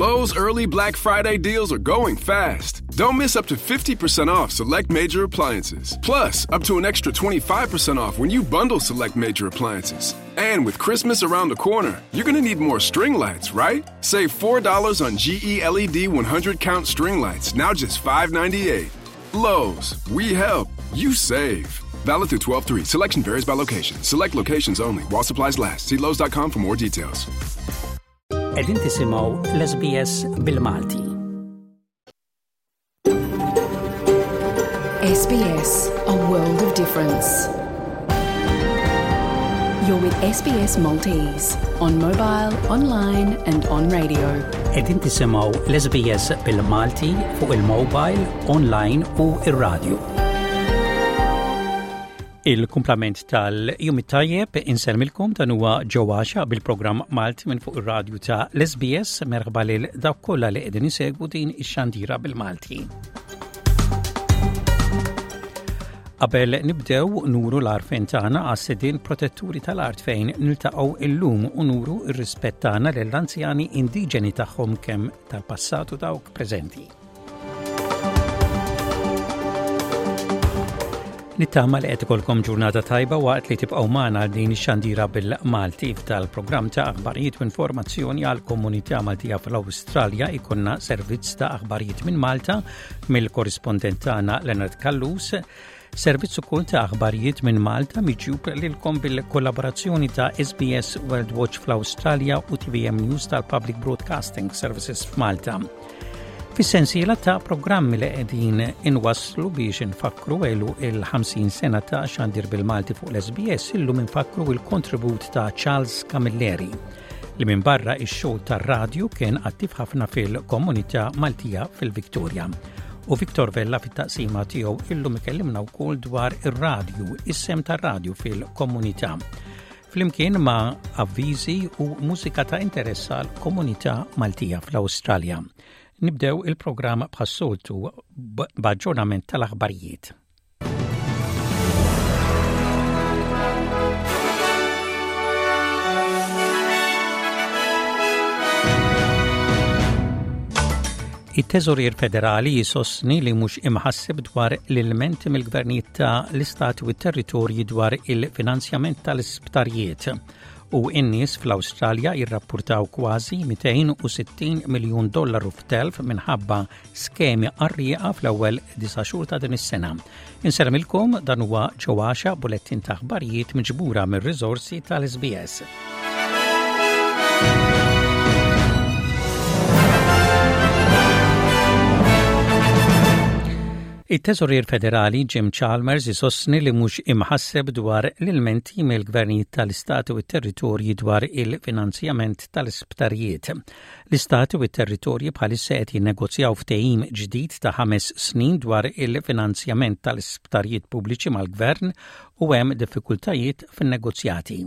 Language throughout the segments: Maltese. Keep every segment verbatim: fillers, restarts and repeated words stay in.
Lowe's early Black Friday deals are going fast. Don't miss up to fifty percent off select major appliances. Plus, up to an extra twenty-five percent off when you bundle select major appliances. And with Christmas around the corner, you're going to need more string lights, right? Save four dollars on G E L E D one hundred count string lights, now just five ninety-eight. Lowe's, we help, you save. Valid through twelve three. Selection varies by location. Select locations only. While supplies last. See Lowes dot com for more details. Qegħdin tisimgħu l-S B S bil-Malti. S B S, a world of difference. You're with S B S Maltese on mobile, online and on radio. Qegħdin tisimgħu l-S B S bil-Malti fuq il-mobile, online u ir-radio. Il-kumplament tal-jum it-tajjeb, insellmilkom, dan huwa ġewwaxa bil-programm Malti minn fuq ir-radju ta' l-S B S. Merħba lil dawk kollha li qegħdin isegwu din ix-xandira bil-Malti. Qabel nibdew, nuru l-għarfien tagħna għas-sidien protetturi tal-art fejn niltaqgħu illum u nuru r-rispett tagħna lill-anzjani indiġeni tagħhom, kemm tal-passat u dawk preżenti. Nittama li qed ikolkom ġurnata tajba waqt li tibqgħu magħna għal din ix-xandira bil-Malti. F'dal-programm ta' aħbarijiet u informazzjoni għal komunità Maltija fl-Awstralja ikollna servizz ta' aħbarijiet minn Malta mill-korrispondent tagħna Leonard Callus. Servizz ukoll ta' aħbarijiet minn Malta miġjub lilkom bil-kollaborazzjoni ta' S B S World Watch fl-Awstralja u T V M News tal-Public Broadcasting Services f'Malta. Fis-sensiela ta' programmi li qegħdin inwasslu biex infakru għeluq il-ħamsin sena ta' xandir bil-Malti fuq l-S B S, illum infakru il-kontribut ta' Charles Camilleri, li minn barra ix-xogħol tar-radju kien attiv ħafna fil-komunità Maltija fil-Viktoria. U Victor Vella fit-taqsima tiegħu illum ikellimna wkoll dwar ir-radju, is-sehem tar-radju fil-komunità, flimkien ma' avviżi u mużika ta' interess għal komunità Maltija fl-Awstralja. Nibdew il-programm bħas-soltu b'aġġornament tal-aħbarijiet. It-Teżorier Federali jisostni li mhux imħasseb dwar l-ilmenti mill-gvernijiet ta' l-istati u t-territorji dwar il-finanzjament tal-isptarijiet, u n-nies fl-Awstralja jirrappurtaw kważi mitejn u sittin miljun dollaru f'telf minħabba skemi qarrieqa fl-ewwel disa' xhur ta' din is-sena. Insellmilkom, dan huwa ġewwaxa, bulettin ta' aħbarijiet miġbura mir-riżorsi tal-S B S. It-Teżorier Federali Jim Chalmers isostni li mhux imħasseb dwar l-ilmenti mill-gvernijiet tal-istati u t-territorji dwar il-finanzjament tal-isptarijiet. L-istati u t-territorji bħalissa qed jinnegozjaw ftehim ġdid ta' ħames snin dwar il-finanzjament tal-isptarijiet pubbliċi mal-gvern u hemm diffikultajiet fin-negozjati.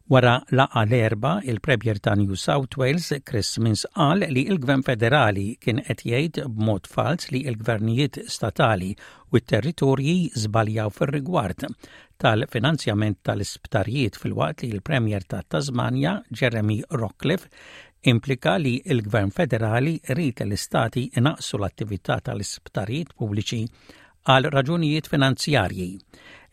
Wara laqgħa l-Erbgħa, il-Premier ta' New South Wales, Chris Minns, qal li il-Gvern Federali kien qed jgħid b'mod fals li l-gvernijiet statali u t-territorji żbaljaw fir-rigward tal-finanzjament tal-isptarijiet, filwaqt li l-Premier ta' Tasmania, Jeremy Rockliff, implika li l-Gvern Federali ried l-istati inaqsu l-attività tal-isptarijiet pubbliċi għal raġunijiet finanzjarji.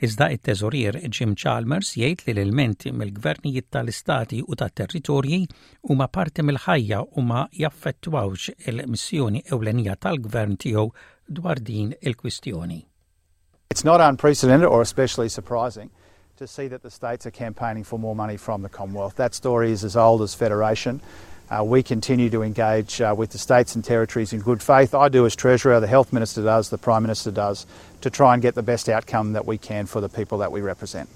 Iżda it-teżorier Jim Chalmers jgħid li l-ilmenti mill-gvernijiet tal-istati u tat-territorji huma parti mill-ħajja u ma jaffettwawx il-missjoni ewlenija tal-gvern tiegħu dwar din il-kwistjoni. It's not unprecedented or especially surprising to see that the states are campaigning for more money from the Commonwealth. That story is as old as Federation. Uh, we continue to engage uh, with the states and territories in good faith. I do as Treasurer, the Health Minister does, the Prime Minister does, to try and get the best outcome that we can for the people that we represent.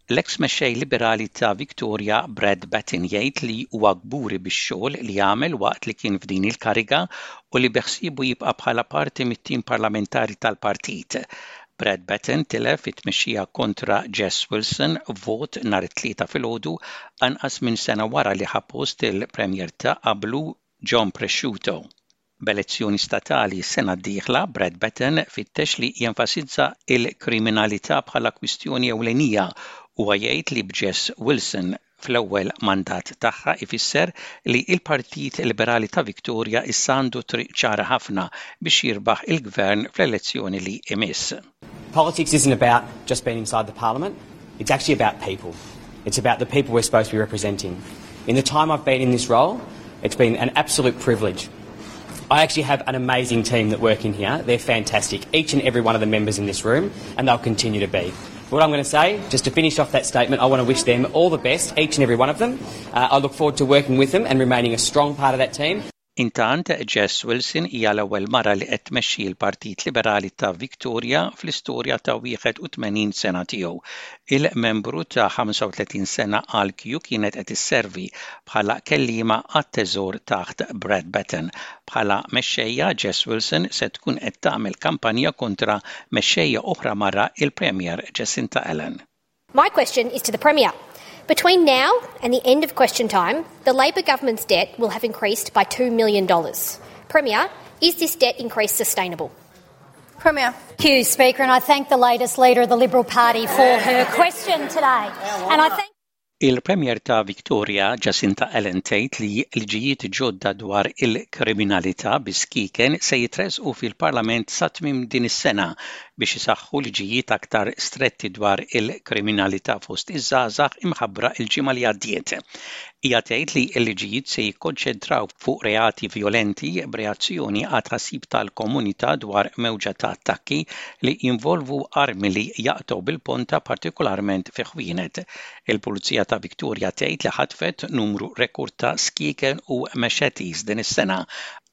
L-ex mexxej liberali ta' Victoria Brad Batten jgħid li huwa kburi bix-xogħol li għamel waqt li kien f'din il-kariga u li beħsiebu jibqa' bħala parti mit-tim parlamentari tal-partit. Brad Batten tilef it-tmexxija kontra Jess Wilson vot nhar it-Tlieta filgħodu, anqas minn sena wara li ħa post il-Premier ta' qablu John Pesutto. B'elezzjoni statali sena d-dieħla, Brad Batten fittex li jenfasizza il-kriminalità bħala kwistjoni ewlenija u jgħid li b'Jess Wilson fl-ewwel mandat tagħha ifisser li l-Partit Liberali ta' Victoria issa għandu triq ċara ħafna biex jirbaħ il-gvern fl-elezzjoni li imiss. Politics isn't about just being inside the parliament, it's actually about people. It's about the people we're supposed to be representing. In the time I've been in this role, it's been an absolute privilege. I actually have an amazing team that work in here. They're fantastic, each and every one of the members in this room, and they'll continue to be. What I'm going to say, just to finish off that statement, I want to wish them all the best, each and every one of them. Uh, I look forward to working with them and remaining a strong part of that team. Intant, Jess Wilson hija l-ewwel mara li qed tmexxi l-Partit Liberali ta' Victoria fl-istorja ta' wieħed u tmenin sena tiegħu. Il-membru ta' ħamsa u tletin sena għal Q kienet qed isservi bħala kellima għat-teżor taħt Brad Batten. Bħala mexxejja, Jess Wilson se tkun qed tagħmel kampanja kontra mexxejja oħra mara, il-Premier Jacinta Allan. My question is to the Premier. Between now and the end of question time, the Labor government's debt will have increased by two million dollars. Premier, is this debt increase sustainable? Premier. Thank you, Speaker, and I thank the latest leader of the Liberal Party for her question today. And I thank Il-Premier ta' Victoria, Jacinta Allan, tgħid li liġijiet ġodda dwar il-kriminalità bis-skieken se jitresqu fil-Parlament sa tmiem din is-sena biex isaħħu liġijiet aktar stretti dwar il-kriminalità fost iż-żgħażagħ imħabbra il-ġimgħa li għaddiet. Hija tgħid li l-liġijiet se jikkonċentraw fuq reati violenti b'reazzjoni għat tħassib tal-komunità dwar mewġa ta' attakki li jinvolvu armi li jaqtgħu bil-ponta, partikolarment fi ħwienet. Il-Pulizija ta' Victoria tgħid li ħatfet numru rekord ta' skieken u machetes din is-sena.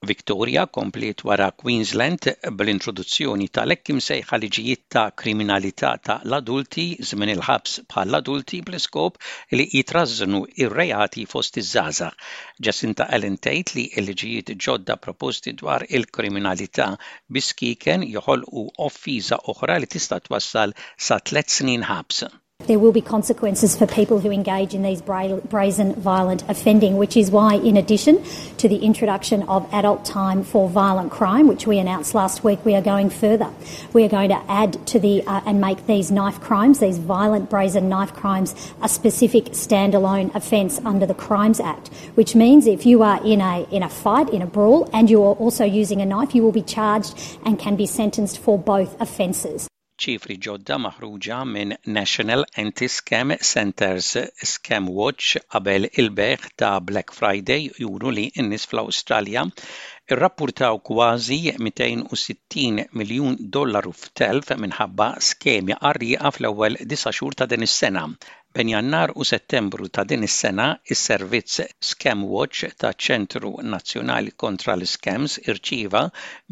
Victoria kompliet wara Queensland bl-introduzzjoni tal-hekk imsejħa liġijiet ta' kriminalità ta' l-adulti, żmien il-ħabs bħall-adulti, bl-iskop li jitrażżnu ir-reati fost iż-żgħażagħ. Jacinta Allan tgħid li l-liġijiet ġodda proposti dwar il-kriminalità bis-skieken joħolqu offiża oħra li tista' twassal sa tliet snin ħabs. There will be consequences for people who engage in these bra- brazen violent offending, which is why, in addition to the introduction of adult time for violent crime, which we announced last week, we are going further. We are going to add to the uh, and make these knife crimes, these violent brazen knife crimes, a specific standalone offence under the Crimes Act, which means if you are in a in a fight, in a brawl, and you are also using a knife, you will be charged and can be sentenced for both offences. Ċifri ġodda maħruġa minn National Anti-Scam Centre's Scam Watch qabel il-bejgħ ta' Black Friday juru li n-nies fl-Awstralja irrappurtaw kważi mitejn u sittin miljun dollaru f'telf minħabba skemi qarrieqa fl-ewwel disa' xhur ta' din is-sena. Bejn Jannar u Settembru ta' din is-sena, is-servizz Scam Watch ta' Ċentru Nazzjonali kontra l-Scams irċieva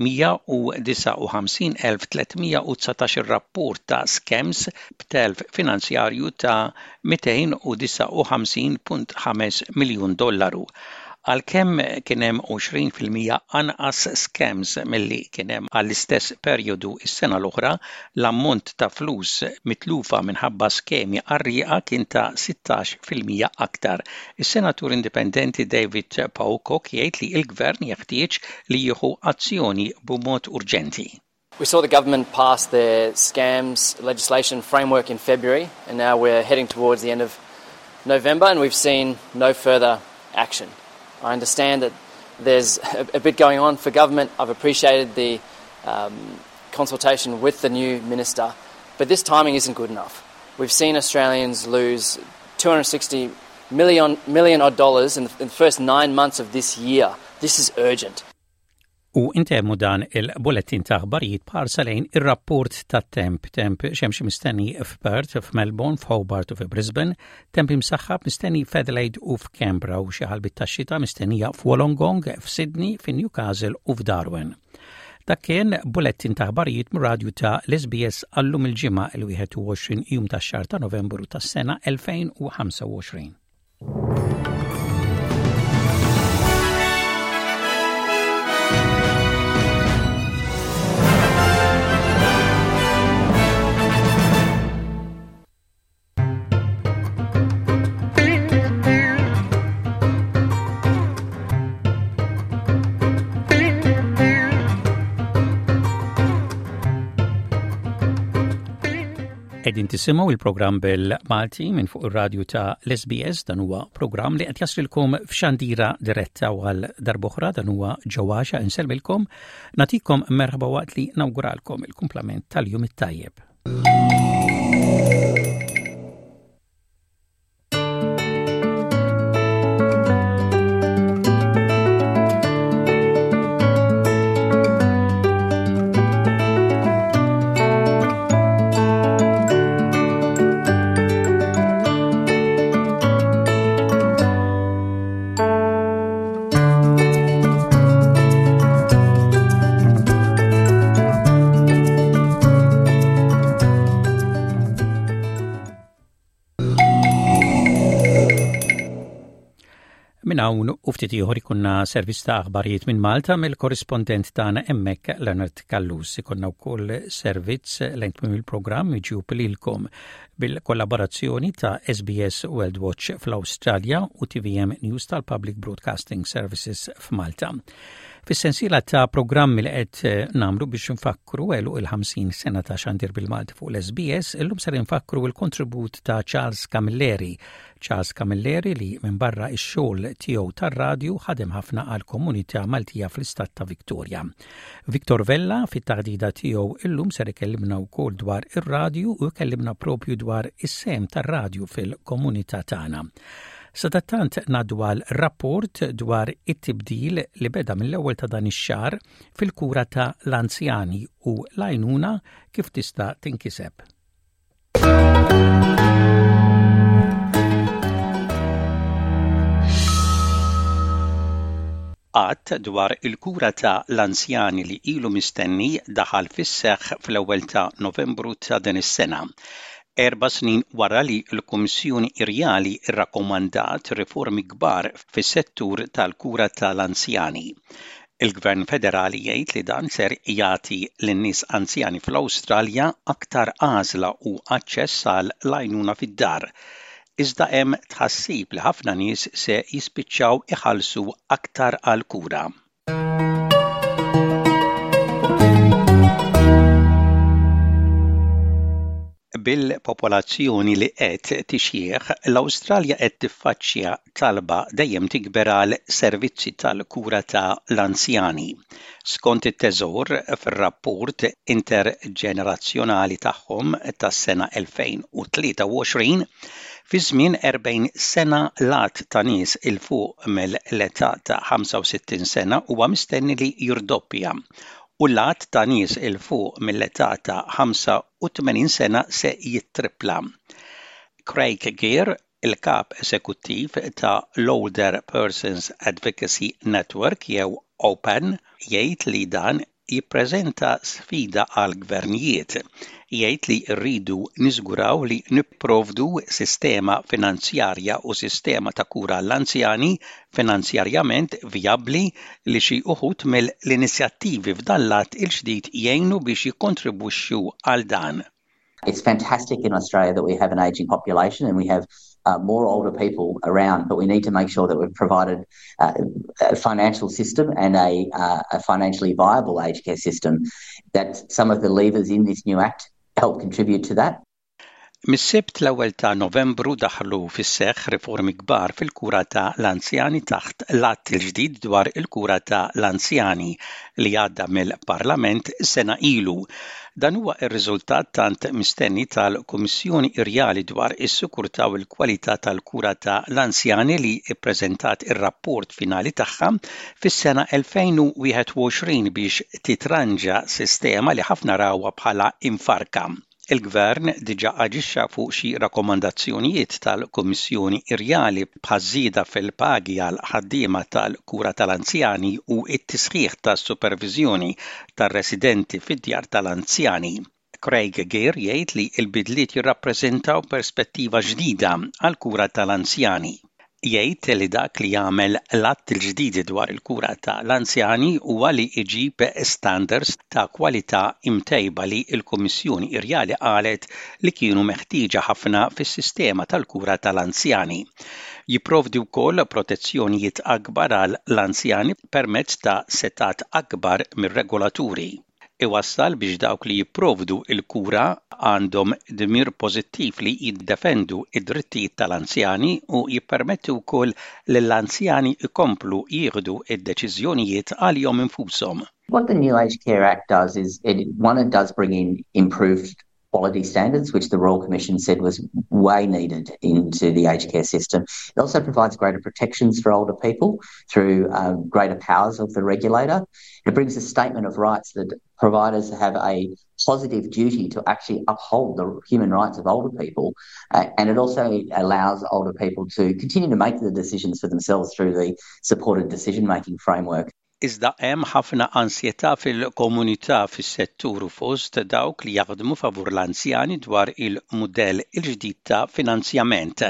mija u disgħa u ħamsin elf tliet mija u dsatax rapport ta' scams b'telf finanzjarju ta' mitejn u disgħa u ħamsin punt ħames miljun dollaru. Għalkemm kien hemm għoxrin fil-mija anqas scams milli kien hemm għall-istess perjodu is-sena l-oħra, l-ammont ta' flus mitlufa minħabba skemi qarrieqa kien ta' sittax fil-mija aktar. Is-senatur indipendenti David Pocock jgħid li l-gvern jeħtieġ li jieħu azzjoni b'mod urġenti. We saw the government pass their scams legislation framework in February, and now we're heading towards the end of November, and we've seen no further action. I understand that there's a, a bit going on for government. I've appreciated the um, consultation with the new minister, but this timing isn't good enough. We've seen Australians lose two hundred sixty million, million odd dollars in the, in the first nine months of this year. This is urgent. U intemmu dan il-bulletin ta' aħbarijiet b'ħarsa lejn ir-rapport ta' temp. Temp xemxi mistenni f'Perth, f'Melbourne, f'Hobart u f'Brisbane, temp imsaħħab mistenni f'Adelaide u f'Canberra u xi ħalbiet ta' xita mistennija f'Wollongong, f'Sydney, f'Newcastle u f'Darwin. Dak kien bulletin ta' aħbarijiet mir-radju ta' l-S B S għallum il-Ġimgħa il-wieħed u għoxrin jum tax-xahar ta' Novembru tas-sena elfejn u ħamsa u għoxrin. Qegħdin tisimgħu il-programm bil-Malti minn fuq ir-radju ta' l-S B S. Dan huwa programm li qed jaslilkom f'xandira diretta u għal darb'oħra dan huwa ġewwaxa insellmilkom, nagħtikom merħba waqt li nawguralkom il-kumplament tal-jum it-tajjeb. Minn hawn u ftit ieħor ikunna servizz ta' aħbarijiet minn Malta mill-korrispondent tagħna hemmhekk, Leonard Callus. Ikunna wkoll servizz lejn tmiem il-programm miġjub lilkom bil-kollaborazzjoni ta' S B S World Watch fl-Awstralja u T V M News tal-Public Broadcasting Services f'Malta. Fis-sensiela ta' programmi li qed nagħmlu biex nfakku għeluq il-ħamsin sena ta' xandir bil-Malti fuq l-S B S, illum ser nfakru il-kontribut ta' Charles Camilleri. Charles Camilleri li minn barra ix-xogħol tiegħu tar-radju ħadem ħafna għal komunità Maltija fl-istat ta' Victoria. Victor Vella fit-taħdida tiegħu illum ser ikellimna wkoll dwar ir-radju u jkellimna propju dwar is-sehem tar-radju fil-komunità tagħna. Sadattant ngħaddu għal rapport dwar it-tibdil li beda mill-ewwel ta' dan ix-xahar fil-kura ta' l-anzjani u l-għajnuna kif tista' tinkiseb. Att dwar il-kura ta' l-anzjani li ilu mistenni daħal fis-seħħ fl-ewwel ta' Novembru ta' din is-sena, erba' snin wara li l-Kummissjoni Irjali rrakkomandat riformi kbar fis-settur tal-kura tal-anzjani. Il-Gvern Federali jgħid li dan ser jagħti lin-nies anzjani fl-Awstralja aktar għażla u aċċess għal l-għajnuna fid-dar. Iżda hemm tħassib li ħafna nies se jispiċċaw iħallsu aktar għal kura. Bil-popolazzjoni li qed tixjieħ, l-Awstralja qed tiffaċċja talba dejjem tikber għal servizzi tal-kura ta' l-anzjani. Skont it-Teżor, fir-rapport interġenerazzjonali tagħhom tas-sena elfejn u tlieta u għoxrin, fi żmien erbgħin sena l-għadd ta' nies 'il fuq mill-età ta' ħamsa u sittin sena huwa mistenni li jirdoppja u l-għadd ta' nies 'il fuq mill-età ta' ħamsa u tmenin sena se jittripla. Craig Gear, il-kap esekuttiv ta' l-Older Persons Advocacy Network jew OPAN, jgħid li dan jippreżenta sfida għal gvernijiet. Jgħid li rridu niżguraw li nipprovdu sistema finanzjarja u sistema ta' kura l-anzjani finanzjarjament vijabbli, li xi uħud mill-inizjattivi f'dan l-att il-ġdid jgħinu biex jikkontribwixxu għal dan. It's fantastic in Australia that we have an ageing population and we have uh, more older people around, but we need to make sure that we've provided uh, a financial system and a, uh, a financially viable aged care system. That some of the levers in this new act help contribute to that. Mis-Sibt l-ewwel ta' Novembru daħlu fis-seħħ riformi kbar fil-kura ta' l-anzjani taħt l-att il-ġdid dwar il-kura ta' l-anzjani li għadda mill-Parlament sena ilu. Dan huwa r-riżultat tant mistenni tal-Kummissjoni Irjali dwar is-sikurtà u l-kwalità tal-kura ta' l-anzjani li ppreżentat ir-rapport finali tagħha fis-sena elfejn u wieħed u għoxrin biex titranġa sistema li ħafna rawha bħala imfarka. Il-Gvern diġa aġixxa fuq xi rakkomandazzjonijiet tal-Kummissjoni Irjali bħaż-żieda fil-pagi għal ħaddiema tal-kura tal-anzjani u t-tisħiħ tas-superviżjoni tar-residenti fid-djar tal-anzjani. Craig Gear jgħid li l-bidliet jirrappreżentaw perspettiva ġdida għal kura tal-anzjani. Jgħid li dak li jagħmel l-att il-ġdid dwar il-kura ta' l-anzjani huwa li jġib standards ta' kwalità imtejba li l-Kummissjoni Irjali qalet li kienu meħtieġa ħafna fis-sistema tal-kura tal-anzjani. Jipprovdi wkoll protezzjonijiet akbar għal l-anzjani permezz ta' setgħat akbar mir-regolaturi. Iwassal biex dawk li jipprovdu il-kura għandhom dmir pożittiv li jiddefendu id-drittijiet tal-anzjani u jippermetti wkoll lill-anzjani ikomplu jieħdu id-deċiżjonijiet għalihom infushom. What the New Aged Care Act does is, it, one, it does bring in improved quality standards, which the Royal Commission said was way needed into the aged care system. It also provides greater protections for older people through um, greater powers of the regulator. It brings a statement of rights that providers have a positive duty to actually uphold the human rights of older people. Uh, and it also allows older people to continue to make the decisions for themselves through the supported decision making framework. Iżda hemm ħafna ansjetà fil-komunità, fis-settur u fost dawk li jaħdmu favur l-anzjani dwar il-mudell il-ġdid ta' finanzjament.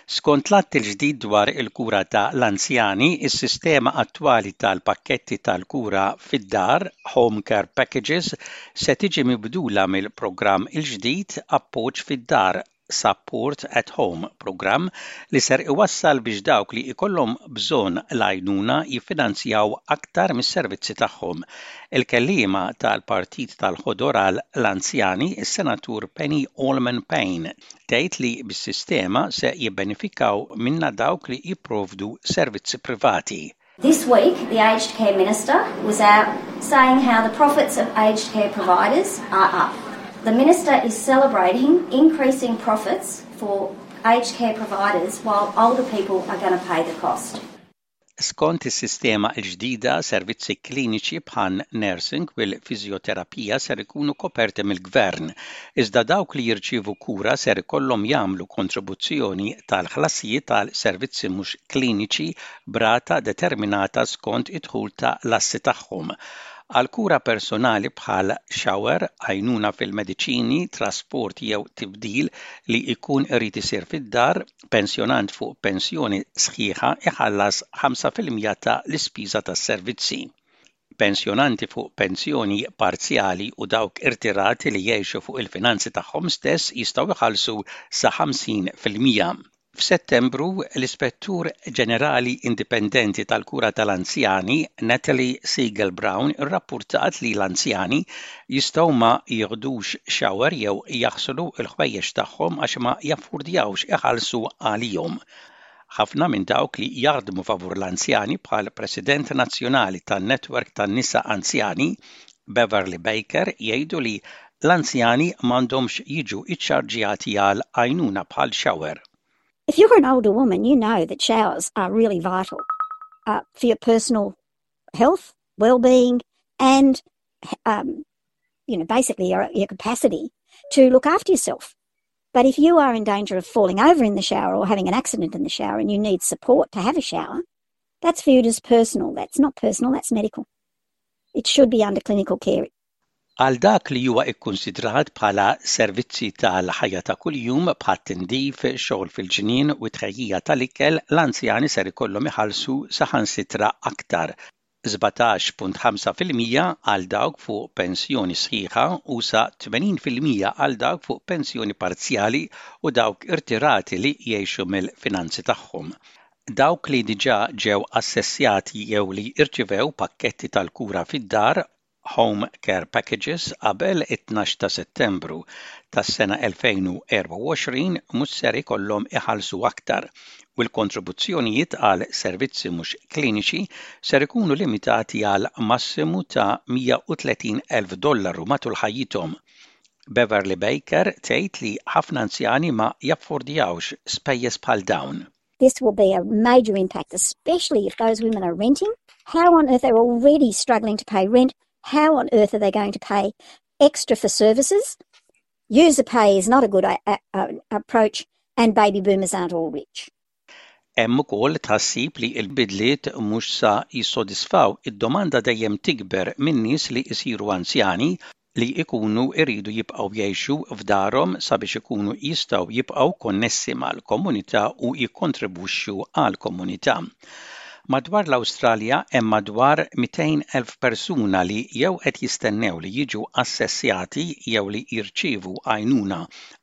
Skont l-att il-ġdid dwar il-kura ta' l-anzjani, is-sistema attwali tal-pakketti tal-kura fid-dar, Home Care Packages, se tiġi mibdula mill-programm il-ġdid Appoġġ fid-Dar, Support at Home program, li ser iwassal biex dawk li ikollhom bżonn l-għajnuna jiffinanzjaw aktar mis-servizzi tagħhom. Il-kellima tal-Partit tal-Ħodor għal l-anzjani, is-Senatur Penny Allman Payne, tgħid li bis-sistema se jibbenefikaw minna dawk li jipprovdu servizzi privati. This week, the Aged Care Minister was out saying how the profits of aged care providers are up. The Minister is celebrating increasing profits for aged care providers while older people are going to pay the cost. Skont is-sistema l-ġdida, servizzi kliniċi bħal nursing u l-fiżjoterapija ser ikunu koperti mill-gvern, iżda dawk li jirċievu kura ser ikollhom jagħmlu kontribuzzjoni tal-ħlasijiet tal-servizzi mhux kliniċi b'rata determinata skont id-dħul ta' l-assi tagħhom. Għal kura personali bħal shower, għajnuna fil-mediċini, trasport jew tibdil li jkun irid isir fid-dar, pensjonant fuq pensjoni sħiħa iħallas ħamsa fil-mija ta' l-ispiża tas-servizzi. Pensjonanti fuq pensjoni parzjali u dawk irtirati li jgħixu fuq il-finanzi tagħhom stess jistgħu jħallsu sa ħamsin fil-mija. F'Settembru, l-Ispettur Ġenerali Indipendenti tal-Kura tal-Anzjani, Natalie Siegel Brown, irrappurtat li l-anzjani jistgħu ma jieħdux shower jew jaħslu l-ħwejjeġ tagħhom għax ma jaffordjawx iħallsu għalihom. Ħafna minn dawk li jaħdmu favur l-anzjani, bħal President Nazzjonali tan-Netwerk tan-Nisa Anzjani, Beverly Baker, jgħidu li l-anzjani m'għandhomx jiġu iċċarġjati għal għajnuna bħal shower. If you're an older woman, you know that showers are really vital uh, for your personal health, well-being, and um, you know, basically your, your capacity to look after yourself. But if you are in danger of falling over in the shower or having an accident in the shower and you need support to have a shower, that's viewed as personal. That's not personal, that's medical. It should be under clinical care. Għal dak li huwa ikkonsidrat bħala servizzi tal-ħajja ta' kuljum, bħal tindif, xogħol fil-ġnien u tħejjija tal-ikel, l-anzjani ser ikollhom iħallsu saħansitra aktar, sbatax punt ħamsa fil-mija għal dawk fuq pensjoni sħiħa u sa tmenin fil-mija għal dawk fuq pensjoni parzjali u dawk irtirati li jgħixu mill-finanzi tagħhom. Dawk li diġà ġew assessjati jew li irċivew pakketti tal-kura fid-dar, Home Care Packages, qabel it-tnax ta' Settembru tas-sena elfejn u erbgħa u għoxrin mhux ser ikollhom iħallsu aktar u l-kontribuzzjonijiet għal servizzi mhux kliniċi ser ikunu limitati għal massimu ta' mija u tletin elf dollaru matul ħajjithom. Beverly Baker tgħid li ħafna anzjani ma jaffordjawx spejjeż bħal dawn. This will be a major impact, especially if those women are renting. How on earth, they're already struggling to pay rent? How on earth are they going to pay extra for services? User pay is not a good uh, uh, approach, and baby boomers aren't all rich. Hemm ukoll tħassib li l-bidliet mhux sa jissodisfaw id-domanda dejjem tikber minn nies li jsiru anzjani li ikunu iridu jibqgħu jgħixu f'darhom sabiex ikunu jistgħu jibqgħu konnessi mal-komunità u jikkontribwixxu għall-komunità. Madwar l-Awstralja hemm madwar mitejn elf persuna li jew qed jistennew li jiġu assessjati jew li jirċievu għajnuna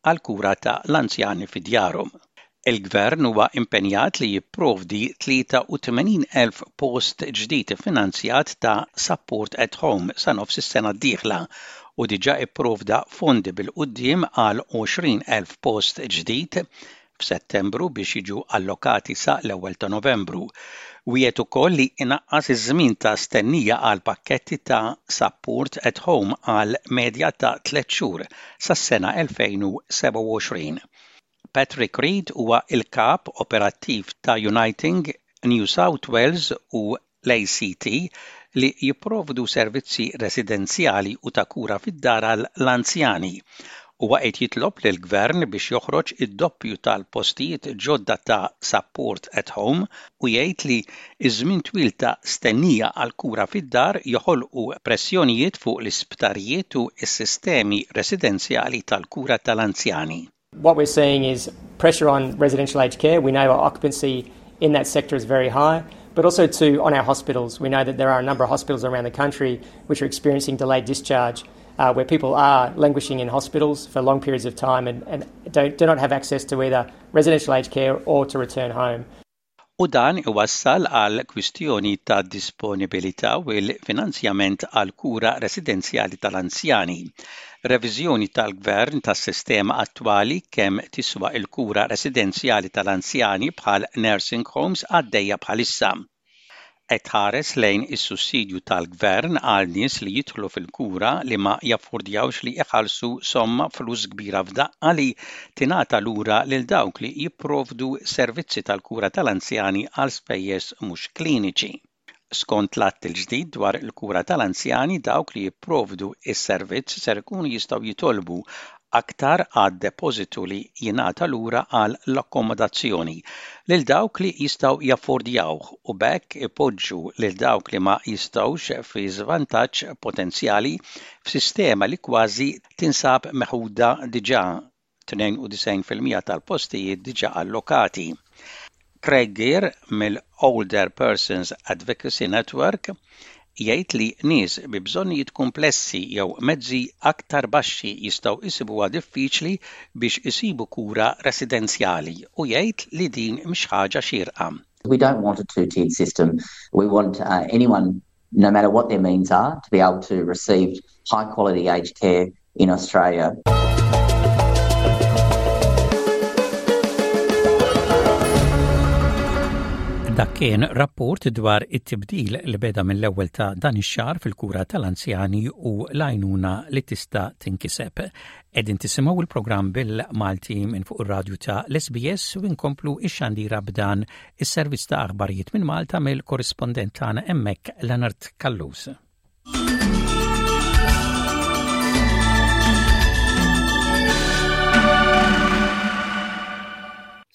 għal kura ta' l-anzjani fi djarhom. Il-Gvern huwa impenjat li jipprovdi tlieta u tmenin elf post ġdid finanzjat ta' Support at Home sa nofs is-sena d-dieħla u diġà ipprovda fondi bil-quddiem għal għoxrin elf post ġdid f'Settembru biex jiġu allokati sa l-ewwel ta' Novembru. Wiegħed ukoll li inaqqas iż-żmien ta' stennija għal pakketti ta' Support at Home għal medja ta' tliet xhur sas-sena elfejn u sebgħa u għoxrin. Patrick Reid huwa il-kap operattiv ta' Uniting New South Wales u l-A C T li jipprovdu servizzi residenzjali u ta' kura fid-dar għall-anzjani. Huwa qed jitlob lill-gvern biex joħroġ id-doppju tal-postijiet ġodda ta' Support at Home u jgħid li iż-żmien twil ta' stennija għal kura fid-dar joħolqu pressjonijiet fuq l-isptarijiet u s-sistemi residenzjali tal-kura tal-anzjani. What we're seeing is pressure on residential aged care. We know our occupancy in that sector is very high, but also too on our hospitals. We know that there are a number of hospitals around the country which are experiencing delayed discharge, uh, where people are languishing in hospitals for long periods of time and, and don't, do not have access to either residential aged care or to return home. U dan iwassal għal kwistjoni ta' disponibilità u l-finanzjament għal kura residenzjali tal-anzjani. Reviżjoni tal-gvern tas-sistema attwali kemm tiswa il-kura residenzjali tal-anzjani bħal nursing homes għaddejja bħalissa. Qed tħares lejn is-sussidju tal-gvern għal nies li jidħlu fil-kura li ma jaffordjawx li iħallsu somma flus kbira f'daqqa li tingħata lura lil dawk li jipprovdu servizzi tal-kura tal-anzjani għal spejjeż mhux kliniċi. Skont l-att il-ġdid dwar il-kura tal-anzjani, dawk li jipprovdu is-servizz ser ikunu jistgħu jitolbu aktar għad depożitu li jingħata lura għal l-akkomodazzjoni lil dawk li jistgħu jaffordjawh u b'hekk ipoġġu lil dawk li ma jistgħux fi żvantaġġ potenzjali f'sistema li kważi tinsab meħuda diġà, tnejn u disgħin fil-mija tal-postijiet diġà allokati. Craig Gear mill-Older Persons Advocacy Network jgħid li nies bi bżonnijiet komplessi jew mezzi aktar baxxi jistgħu jsibuha diffiċli biex isibu kura residenzjali u jgħid li din mhix ħaġa xierqa. We don't want a two-tiered system. We want uh, anyone, no matter what their means are, to be able to receive high quality aged care in Australia. Dak kien rapport dwar it-tibdil li beda mill-ewwel ta' dan ix-xahar fil-kura tal-anzjani u l-għajnuna li tista' tinkiseb. Qegħdin tisimgħu il-programm bil-Malti minn fuq ir-radju ta' l-S B S u nkomplu ix-xandira b'dan is-servizz ta' aħbarijiet minn Malta mill-korrispondent tagħna hemmhekk, Leonard Callus.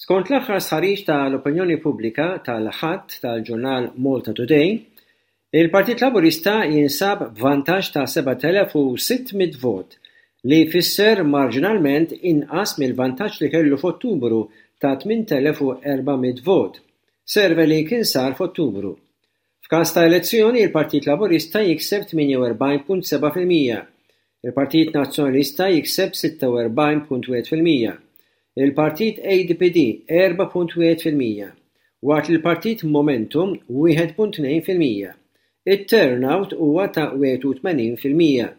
Skont l-aħħar stħarriġ tal-opinjoni pubblika tal-Ħadd tal-ġurnal Malta Today, il-Partit Laburista jinsab b'vantaġġ ta' sebat elef u sitt mitt vot, li jfisser marġinalment inqas mill-vantaġġ li kellu f'Ottubru ta' tmint elef u erba' mitt vot, survey li kien sar f'Ottubru. F'każ ta' elezzjoni, il-Partit Laburista jikseb tmienja u erbgħin punt sebgħa fil-mija, il-Partit Nazzjonalista jikseb sitta u erbgħin punt wieħed fil-mija, il-Partit A D P D erbgħa punt wieħed fil-mija, waqt li l-Partit Momentum wieħed punt tnejn fil-mija. Il-turnout huwa ta' wieħed u tmenin fil-mija.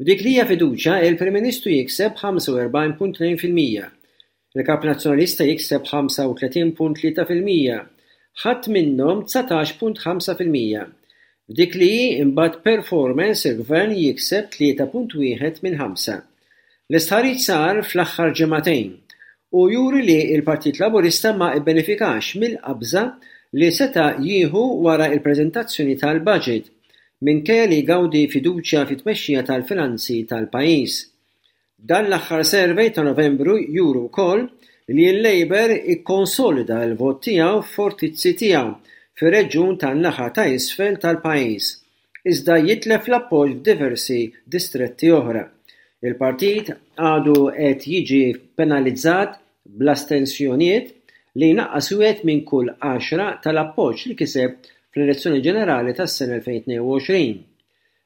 F'dik li hija fiduċja, il-Prim Ministru jikseb ħamsa u erbgħin punt tnejn fil-mija, il-Kap Nazzjonalista jikseb ħamsa u tletin punt tlieta fil-mija, ħadd minnhom dsatax punt ħamsa fil-mija. F'dik li hi imbagħad performance, il-Gvern jikseb tlieta punt wieħed minn ħamsa. L-istħarriġ sar fl-aħħar ġimagħtejn u juri li l-Partit Laburista ma bbenefikax mill-qabża li seta' jieħu wara l-preżentazzjoni tal-budget, minkejja li jgawdi fiduċja fit-tmexxija tal-finanzi tal-pajjiż. Dan l-aħħar survey ta' Novembru juru wkoll li l-Labour ikkonsolida l-vot tiegħu f'fortizzi tiegħu fir-reġjun tan-naħa ta' isfel tal-pajjiż, iżda jitlef l-appoġġ f'diversi distretti oħra. Il-partit għadu qed jiġi penalizzat bl-astensjonijiet li jnaqqas wieħed minn kull għaxra tal-appoġġ li kiseb fl-elezzjoni ġenerali tas-sena elfejn u tnejn u għoxrin.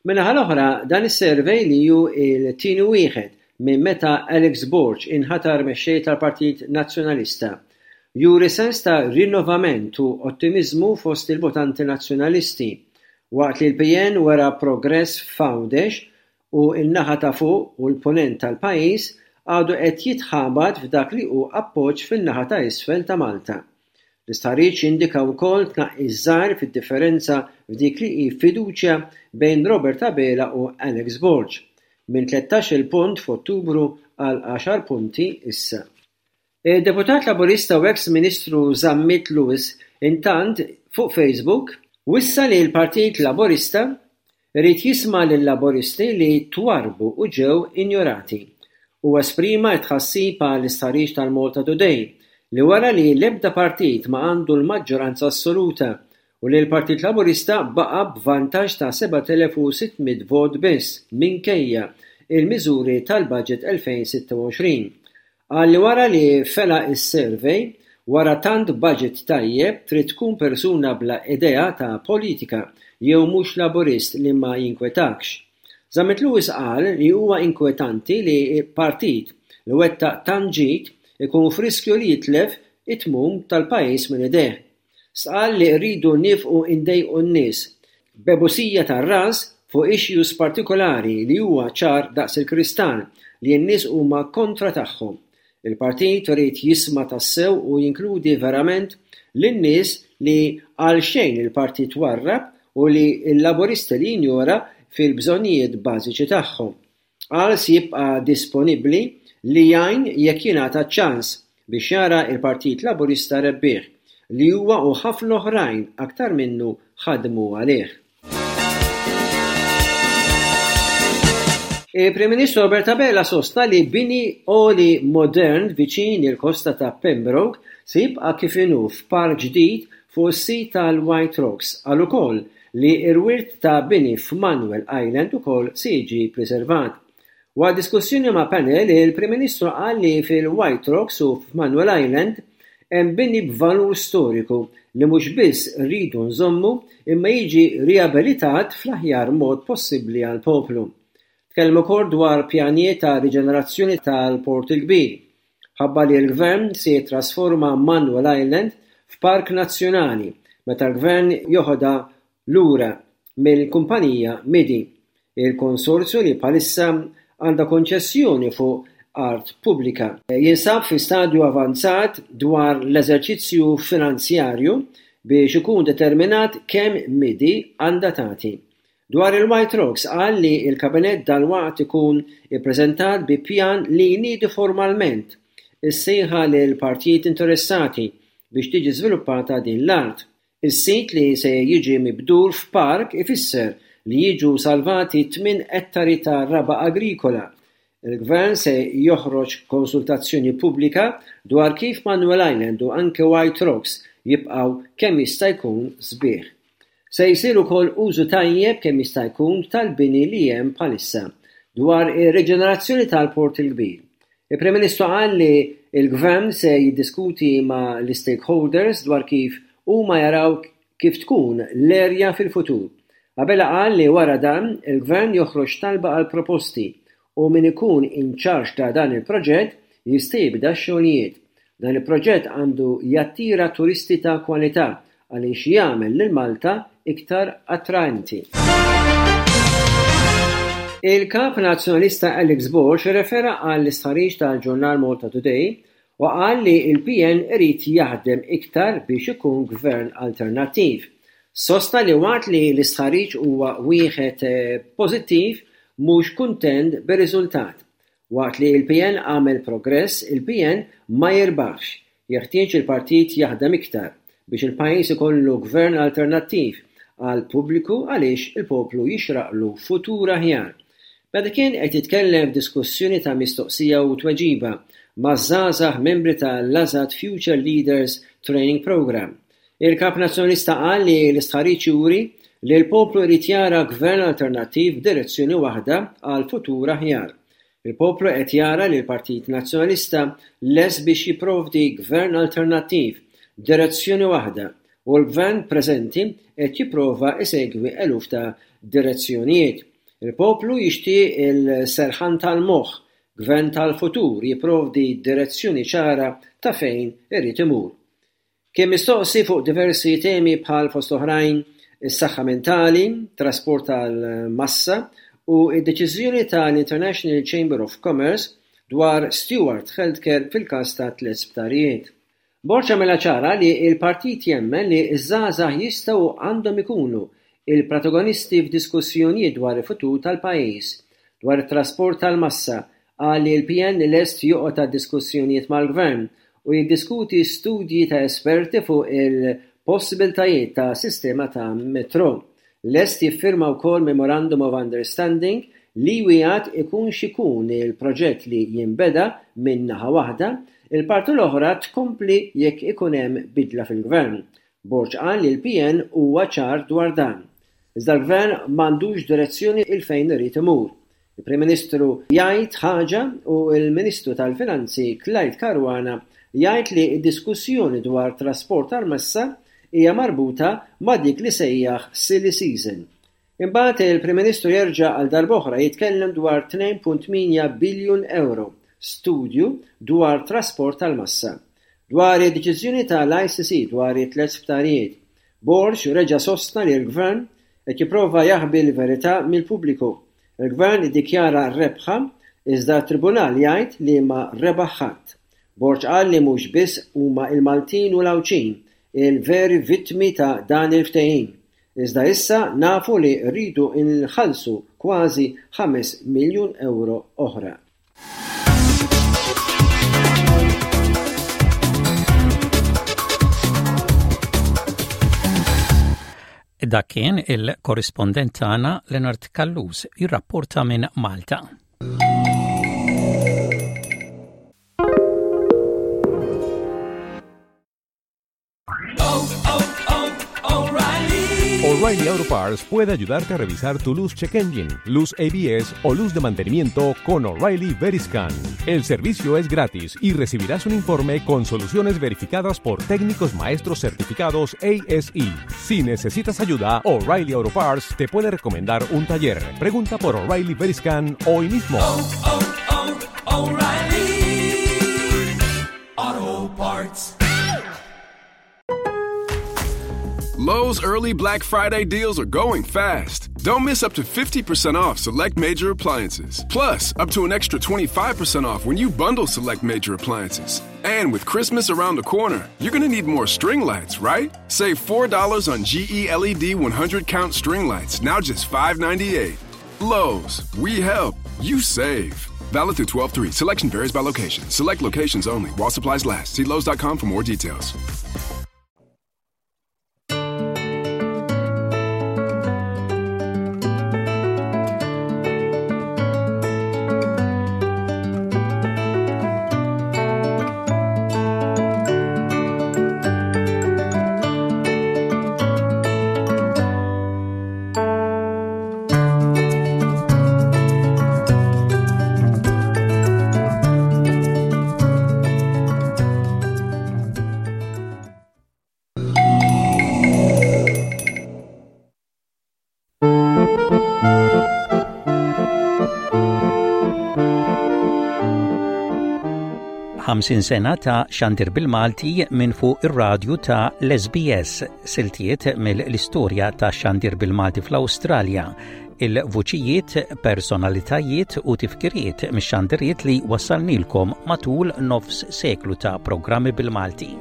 Min-naħa l-oħra, dan is-survey, li hu il-tieni wieħed minn meta Alex Borg inħatar mexxej tal-Partit Nazzjonalista juri sens ta' rinnovament u ottimiżmu fost il-votanti Nazzjonalisti, waqt li l-P N wera progress f'Għawdex u n-naħa ta' fuq u l-punent tal-pajjiż, għadu qed jitħabat f'dak li hu appoġġ fin-naħa ta' isfel ta' Malta. L-istħarriġ jindika wkoll tnaqqis żgħir fid-differenza f'dik li hi fiduċja bejn Robert Abela u Alex Borg, minn tlettax-il punt f'Ottubru għal għaxar punti issa. Il-deputat Laburista u ex-Ministru Zammit Lewis, intant, fuq Facebook wissa li l-Partit Laburista irid jisma' lill-Laburisti li twarbu u ġew injorati. U esprima tħassib għal istħarriġ tal-Malta Today li wara li l-ebda partit ma għandu l-maġġoranza assoluta u li l-Partit Laburista baqa' b'vantaġġ ta' seba' elef u sitt mitt vot biss minkejja il-miżuri tal-Budget elfejn u sitta u għoxrin. Qal li wara li fela is-survey, wara tant budget tajjeb, trid tkun persuna bla idea ta' politika jew mhux Laburist li ma jinkwetakx. Zammit Lewis qal li huwa inkwetanti li partit li wettaq tant ġid ikun f'riskju li jitlef it-tmun tal-pajjiż minn idejh. Stqarr li rridu nieqfu ndejqu n-nies b'ebusija tar-ras fuq issues partikolari li huwa ċar daqs il-kristall li n-nies huma kontra tagħhom. Il-partit irid jisma' tassew u jinkludi verament lin-nies li għal xejn il-partit warrab u li l-Laburisti li jinjora fil-bżonnijiet bażiċi tagħhom. Qal se jibqa' disponibbli li jgħin jekk jingħata ċans biex jara il-Partit Laburista rebbieħ li huwa u ħafna oħrajn aktar minnu ħadmu għalih. Il-Prim Ministru Robert Abela sostna li bini għoli modern viċin il-kosta ta' Pembroke se jibqa' kif inhu f'park ġdid fuq is-sit tal-White Rocks. Qal ukoll li r-wirt ta' bini f'Manuel Island ukoll se jiġi preservat. Waqt diskussjoni ma' panel, il-Prim Ministru qal li fil-White Rocks u f'Manuel Island hemm bini b'valur storiku li mhux biss rridu nżommu imma jiġi riabilitat fl-aħjar mod possibbli għall-poplu. Tkellem ukoll dwar pjanijiet ta' riġenerazzjoni tal-Port il-Kbir. Ħabbar li l-Gvern se jittrasforma Manuel Island f'Park Nazzjonali meta l-Gvern joħodha lura mill-kumpanija Midi, il-konsorzju li bħalissa għandha konċessjoni fuq art pubblika. Jinsab fi stadju avanzat dwar l-eżerċizzju finanzjarju biex ikun determinat kemm Midi għandha tagħti. Dwar il-White Rocks, qal li il-Kabinett dalwaqt ikun ippreżentat bi pjan li jniedi formalment is-sejħa lil partijiet interessati biex tiġi żviluppata din l-art. Is-sit li se jiġi mibdul f'park ifisser li jiġu salvati tmien ettari ta' raba' agrikola. Il-Gvern se joħroġ konsultazzjoni pubblika dwar kif Manuel Island u anke White Rocks jibqgħu kemm jista' jkun sbieħ. Se jsir ukoll użu tajjeb kemm jista' jkun tal-bini li hemm bħalissa. Dwar ir-riġenerazzjoni tal-Port il-Kbir, il-Prim Ministru qal li il-Gvern se jiddiskuti ma' l-stakeholders dwar kif huma jaraw kif tkun l-erja fil-futur. Abela qal li wara dan il-Gvern joħroġ talba għal proposti u min ikun in charge ta' dan il-proġett jista' jibda x-xogħlijiet. Dan il-proġett għandu jattira turisti ta' kwalità għaliex jagħmel lil Malta iktar attraenti. Il-kap Nazzjonalista Alex Borg refera għall istħarriġ tal-ġurnal Malta Today u qal li il-P N irid jaħdem iktar biex ikun gvern alternattiv. Sostna li waqt li l-istħarriġ huwa wieħed eh, pożittiv, mhux kuntent bir-riżultat. Waqt li il-P N għamel progress, il-P N ma jirbaħx. Jeħtieġ il-partit jaħdem iktar biex il-pajjiż ikollu gvern alternattiv għal pubbliku għaliex il-poplu jixraqlu futur aħjar. Meta kien qed jitkellem f'diskussjoni ta' mistoqsija u tweġiba ma' żgħażagħ membri tal-Lazat Future Leaders Training Program, il-kap Nazzjonalista qal li l-istħarriġ juri li l-poplu jrid jara gvern alternattiv b'direzzjoni waħda għal futur aħjar. Il-poplu qed jara li l-Partit Nazzjonalista lest biex jipprovdi gvern alternattiv b'direzzjoni waħda u l-gvern preżenti qed jipprova isegwi eluf ta' direzzjonijiet. Il-poplu jixtieq il-serħan tal-moħħ. Gvern tal-futur jipprovdi direzzjoni ċara ta' fejn irid imur. Kien mistoqsi fuq diversi temi bħal fost oħrajn is-saħħa mentali, trasport tal-massa u d-deċiżjoni tal-International Chamber of Commerce dwar Steward Healthcare fil-każ ta' tliet sptarijiet. Borg għamilha ċara li l-partit jemmen li ż-żgħażagħ jistgħu għandhom ikunu il-protagonisti f'diskussjonijiet dwar il-futur tal-pajjiż, dwar it-trasport tal-massa, qal li l-P N lest joqgħod għad-diskussjonijiet mal-gvern u jiddiskuti studji ta' esperti fuq il-possibiltajiet ta' sistema ta' metro. Lest jiffirma wkoll Memorandum of Understanding li wieħed ikun xikun il-proġett li jinbeda minn naħa waħda, il-parti l-oħra tkompli jekk ikun hemm bidla fil-gvern. Borg qal li l-P N huwa ċar dwar dan. Iżda l-gvern m'għandux direzzjoni 'il fejn irid imur. Il-Prim Ministru jgħid ħaġa u l-Ministru tal-Finanzi Clyde Caruana jgħid li d-diskussjoni dwar trasport tal-massa hija marbuta ma' dik li sejjaħ silly season. Imbagħad il-Prim Ministru jerġa' għal darb'oħra jitkellem dwar tnejn punt tmienja biljun euro studju dwar trasport tal-massa. Dwar id-deċiżjoni tal-I C C dwar it-tliet sptarijiet, Borg reġa' sostna li l-gvern qed jipprova jaħbi l-verità mill-pubbliku. Il-gvern iddikjara rebħa iżda t-tribunal jgħid li ma rebaħ ħadd. Borg qal li mhux biss huma il-Maltin u l-Għawdxin il-veri vittmi ta' dan il-ftehim. Iżda issa nafu li rridu nħallsu kważi ħames miljun euro oħra. Dak kien il-korrispondent tagħna Leonard Callus jirrapporta minn Malta. O'Reilly Auto Parts puede ayudarte a revisar tu luz check engine, luz A B S o luz de mantenimiento con O'Reilly Veriscan. El servicio es gratis y recibirás un informe con soluciones verificadas por técnicos maestros certificados A S E. Si necesitas ayuda, O'Reilly Auto Parts te puede recomendar un taller. Pregunta por O'Reilly Veriscan hoy mismo. O'Reilly Auto Parts. Lowe's early Black Friday deals are going fast. Don't miss up to fifty percent off select major appliances. Plus, up to an extra twenty-five percent off when you bundle select major appliances. And with Christmas around the corner, you're going to need more string lights, right? Save four dollars on G E L E D one hundred count string lights, now just five ninety-eight. Lowe's, we help, you save. Valid through twelve three. Selection varies by location. Select locations only. While supplies last. See Lowes dot com for more details. Ħamsin sena ta' xandir bil-Malti minn fuq ir-radju ta' l-S B S, siltiet mill-istorja ta' xandir bil-Malti fl-Awstralja, il-vuċijiet, personalitajiet u tifkiriet mix-xandiriet li wassalnilkom matul nofs seklu ta' programmi bil-Malti.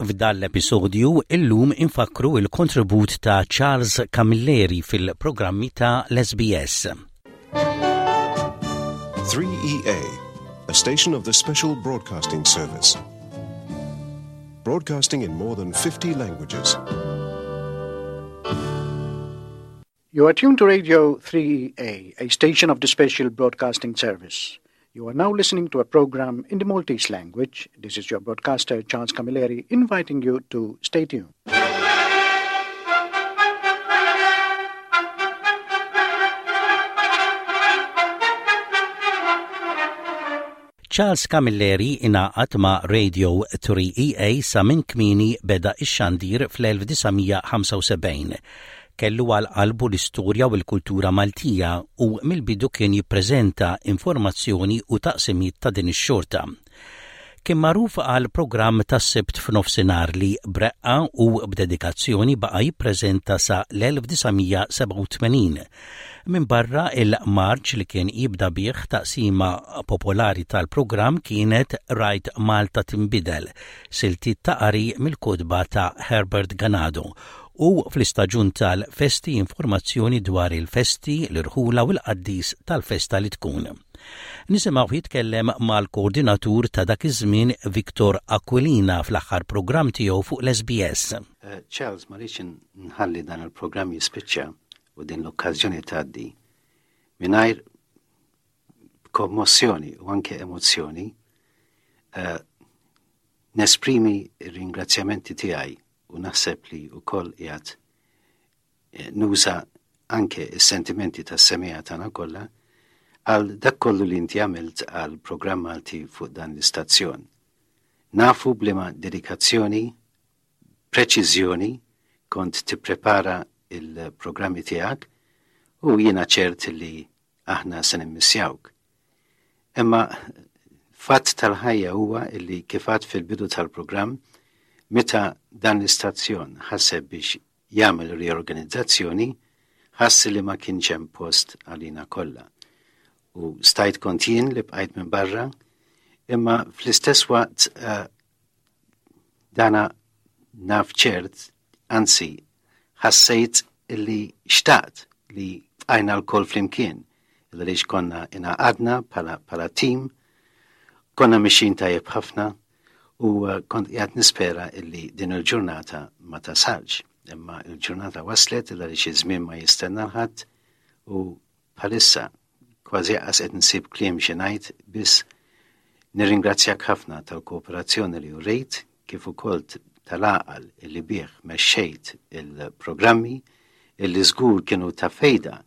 F'dan l-episodju illum infakru il-kontribut ta' Charles Camilleri fil-programmi ta' l-S B S. three E A, a station of the Special Broadcasting Service. Broadcasting in more than fifty languages. You are tuned to Radio three E A, a station of the Special Broadcasting Service. You are now listening to a program in the Maltese language. This is your broadcaster, Charles Camilleri, inviting you to stay tuned. Charles Camilleri ingħaqad ma' Radio three E A sa minn kmieni beda ix-xandir fl-elf disa' mija ħamsa u sebgħin. Kellu għal qalbu l-istorja u l-kultura Maltija u mill-bidu kien jippreżenta informazzjoni u taqsimiet ta' din ix-xorta. Kien magħruf għal programm tas-Sibt f'nofsinhar li b'reqqa u b'dedikazzjoni baqa' jippreżenta sa l-elf disa' mija sebgħa u tmenin. Min barra il-marċ li kien jibda bih, taqsima popolari tal-programm kienet Rajt Malta Timbidel, siltiet ta' qari mill-kotba ta' Herbert Ganado, u fl-istaġun tal-festi informazzjoni dwar il-festi, l-irħula u l-qaddis tal-festa li tkun. Nisimgħu jitkellem mal-koordinatur ta' dak iż-żmien Victor Aquilina fl-aħħar programm tiegħu fuq l-S B S. Uh, Charles, ma rridx nħalli dan il-programm jispiċċa u din l-okkażjoni tgħaddi mingħajr kommossjoni u anke emozzjoni uh, nesprimi r-ringrazzjamenti tiegħi u naħseb li wkoll qiegħed eh, nuża anke s-sentimenti tas-semmiegħa tagħna kollha għal dak kollu li inti għamilt għal programm Malti fuq dan l-istazzjon. Nafu b'liema dedikazzjoni, preċiżjoni kont tipprepara il-programmi tiegħek u jiena ċert li aħna se nimmissjawk. Imma fatt tal-ħajja huwa illi kif għedt fil-bidu tal-programm, meta dan l-istazzjon ħaseb biex jagħmel riorganizzazzjoni, ħass li ma kienx hemm post għalina kollha. U stajt kont jien li bqajt minn barra, imma fl-istess waqt uh, dana naf ċert, anzi, ħassejt illi xtaqt li bqajna lkoll flimkien, għaliex konna ingħaqadna bħala, bħala team, konna mexjin tajjeb ħafna u uh, kont qiegħed nispera illi din il-ġurnata ma tasalx. Imma il-ġurnata waslet, għaliex iż-żmien ma jistenna ħadd, u bħalissa kważi qas qed nsib kliem xi ngħid, biss nirringrazzjak ħafna tal-kooperazzjoni li urejt kif ukoll tal-għaqal illi bih mexxejt il-programmi illi żgur kienu ta' fejda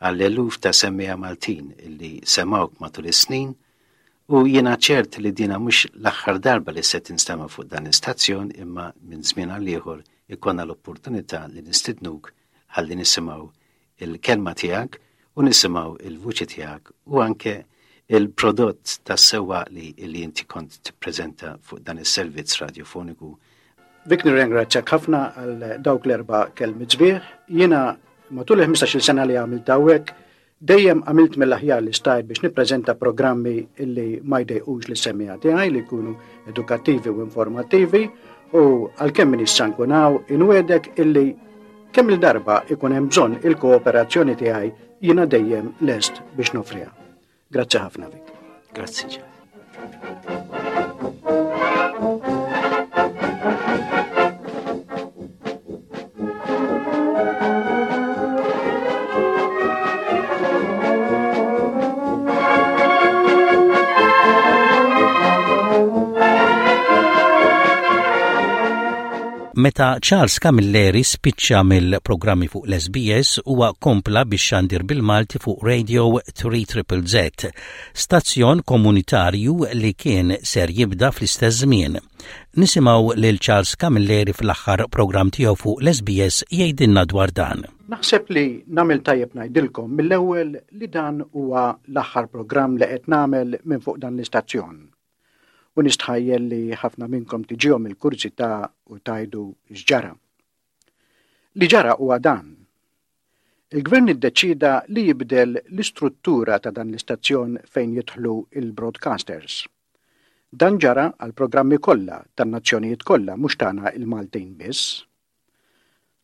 għall-eluf ta' semmiegħa Maltin illi semawk matul is-snin, u jiena ċert li dina mhux l-aħħar darba li se tinstema' fuq dan l-istazzjon, imma minn żmien għal ieħor ikollna l-opportunità li nistidnuk ħalli nisimgħu il-kelma tiegħek u nisimgħu il-vuċi tiegħek u anke il-prodott tas-sewwa li, li inti kont tippreżenta fuq dan is-servizz radiofoniku. Vic, nirringrazzjak ħafna għal dawk l-erba' kelmiet sbieħ. Jiena matul il-ħmistax-il sena li għamilt hawnhekk dejjem għamilt mill-aħjar li stajt biex nippreżenta programmi illi ma jdejqux lis-semmiegħa tiegħi, li jkunu edukattivi u informattivi, u għalkemm m'iniex se nkun hawn, inwiegħdek illi kemm il-darba ikun hemm bżonn il-kooperazzjoni tiegħi, jiena dejjem lest biex noffriha. Grazzi ħafna, Vic. Grazzi ġa. Meta Charles Camilleri spiċċa mill-programmi fuq l-S B S, huwa kompla biex xandir bil-Malti fuq Radio three Z, stazzjon komunitarju li kien ser jibda fl-istess żmien. Nisimgħu lil Charles Camilleri fl-aħħar programm tiegħu fuq l-S B S jgħidilna dwar dan. Naħseb li nagħmel tajjeb ngħidilkom mill-ewwel li dan huwa l-aħħar programm li qed nagħmel minn fuq dan l-istazzjon. U nistħajjel li ħafna minnkom tiġihom il-kurżità u tgħidu x'ġara. Li ġara huwa dan. Il-gvern iddeċida li jibdel l-istruttura ta' dan l-istazzjon fejn jidħlu il-broadcasters. Dan ġara għal programmi kollha tan-nazzjonijiet kollha, mhux tagħna il-Maltin biss.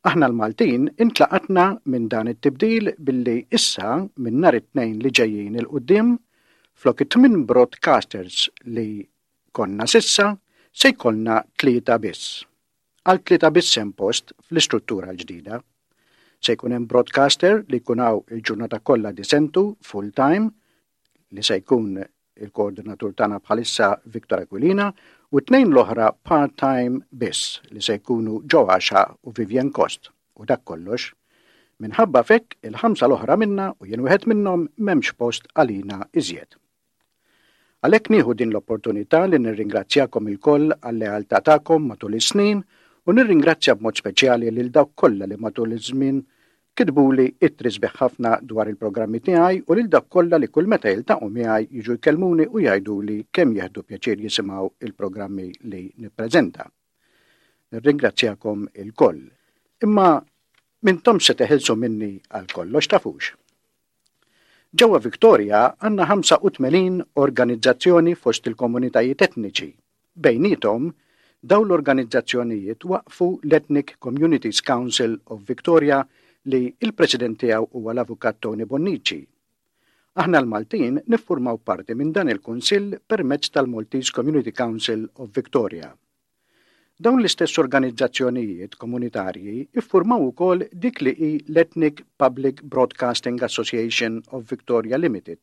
Aħna l-Maltin intlaqatna minn dan it-tibdil billi issa minn nhar it-Tnejn li ġejjin 'il quddiem, flok it-tmien broadcasters li konna s'issa, se jkollna tlieta biss. Għal tlieta biss hemm post fl-istruttura l-ġdida. Se jkun hemm broadcaster li jkun hawn il-ġurnata kollha disentu full time, li se jkun il-koordinatur tagħna bħalissa Victor Aquilina, u tnejn l-oħra part-time biss, li se jkunu Joe Axiaq u Vivian Kost, u dak kollox. Minħabba f'hekk, il-ħamsa l-oħra minna, u jien wieħed minnhom, m'hemmx post għalina iżjed. Għalhekk nieħu din l-opportunità li nirringrazzjakom ilkoll għal-lealtà tagħkom matul is-snin u nirringrazzja b'mod speċjali lil dawk kollha li matul iż-żmien kitbuli ittri sbieħ ħafna dwar il-programmi tiegħi u lil dawk kollha li kull meta jiltaqgħu miegħi jiġu jkellmuni u jgħiduli kemm jieħdu pjaċir jisimgħu il-programmi li nippreżenta. Nirringrazzjakom ilkoll. Imma m'intom se teħilsu minni għal kollox, tafux. Ġewwa Victoria għandna ħamsa u tmenin organizzazzjoni fost il-komunitajiet etniċi. Bejnietom, dawn l-organizzazzjonijiet waqfu l-Ethnic Communities Council of Victoria li il-president tiegħu huwa l-avukat Tony Bonnici. Aħna l-Maltin niffurmaw parti minn dan il-Kunsill permezz tal-Maltese Community Council of Victoria. Dawn l-istess organizzazzjonijiet komunitarji iffurmaw ukoll dik li hi l-Ethnic Public Broadcasting Association of Victoria Limited.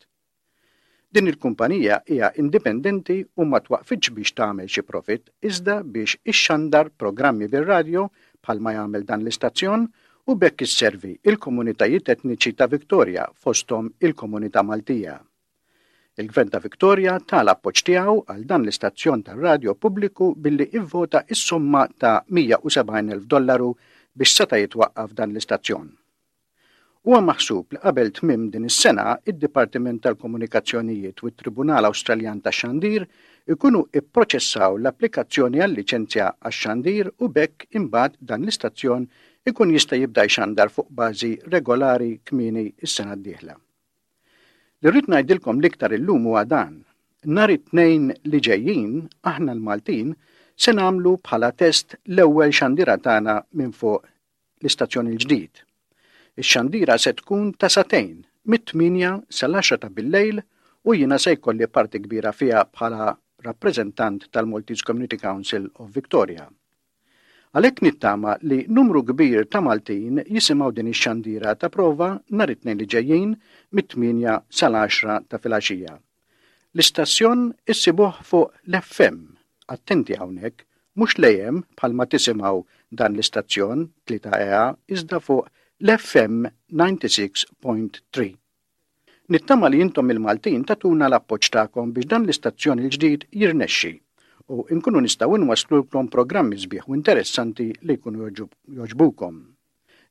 Din il-kumpanija hija indipendenti u ma twaqfitx biex tagħmel xi profit, iżda biex ixxandar programmi bir-radjo bħalma jagħmel dan l-istazzjon u b'hekk isservi il-komunitajiet etniċi ta' Victoria, fosthom il-komunità Maltija. Il-Gvern ta' Victoria ta l-appoġġ tiegħu għal dan l-istazzjon tar-radjo pubbliku billi ivvota is-somma ta' mija u sebgħin elf dollaru biex seta' jitwaqqaf dan l-istazzjon. Huwa maħsub li qabel tmim din is-sena id-Dipartiment tal-Komunikazzjonijiet u t-Tribunal Awstraljan tax-Xandir ikunu ipproċessaw l-applikazzjoni għal-liċenzja għax-xandir u b'hekk imbagħad dan l-istazzjon ikun jista' jibda jxandar fuq bażi regolari kmieni is-sena d-dieħla. Li rrid ngħidilkom l-iktar illum huwa dan. Nhar it-Tnejn li ġejjin, aħna l-Maltin se nagħmlu bħala test l-ewwel xandira tagħna minn fuq l-istazzjon il-ġdid. Ix-xandira se tkun ta' sagħtejn, mit-tmienja sal-għaxra ta' billejl, u jiena se jkolli parti kbira fiha bħala rappreżentant tal-Maltese Community Council of Victoria. Għalhekk nittama li numru kbir ta' Maltin jisimgħu din ix-xandira ta' prova nhar it-Tnejn li ġejjin mit-tmienja sal-għaxra ta' filgħaxija. L-istazzjon issibuh fuq l-F M, attenti hawnhekk, mhux l-A M bħalma tisimgħu dan l-istazzjon tlieta E A, iżda fuq l-F M disgħa u disgħin punt tlieta. Nittama li intom il-Maltin tagħtuna l-appoġġ tagħkom biex dan l-istazzjon il-ġdid jirnexxi u nkunu nistgħu nwaslulkom programmi sbieħ u interessanti li jkunu jogħġbukom.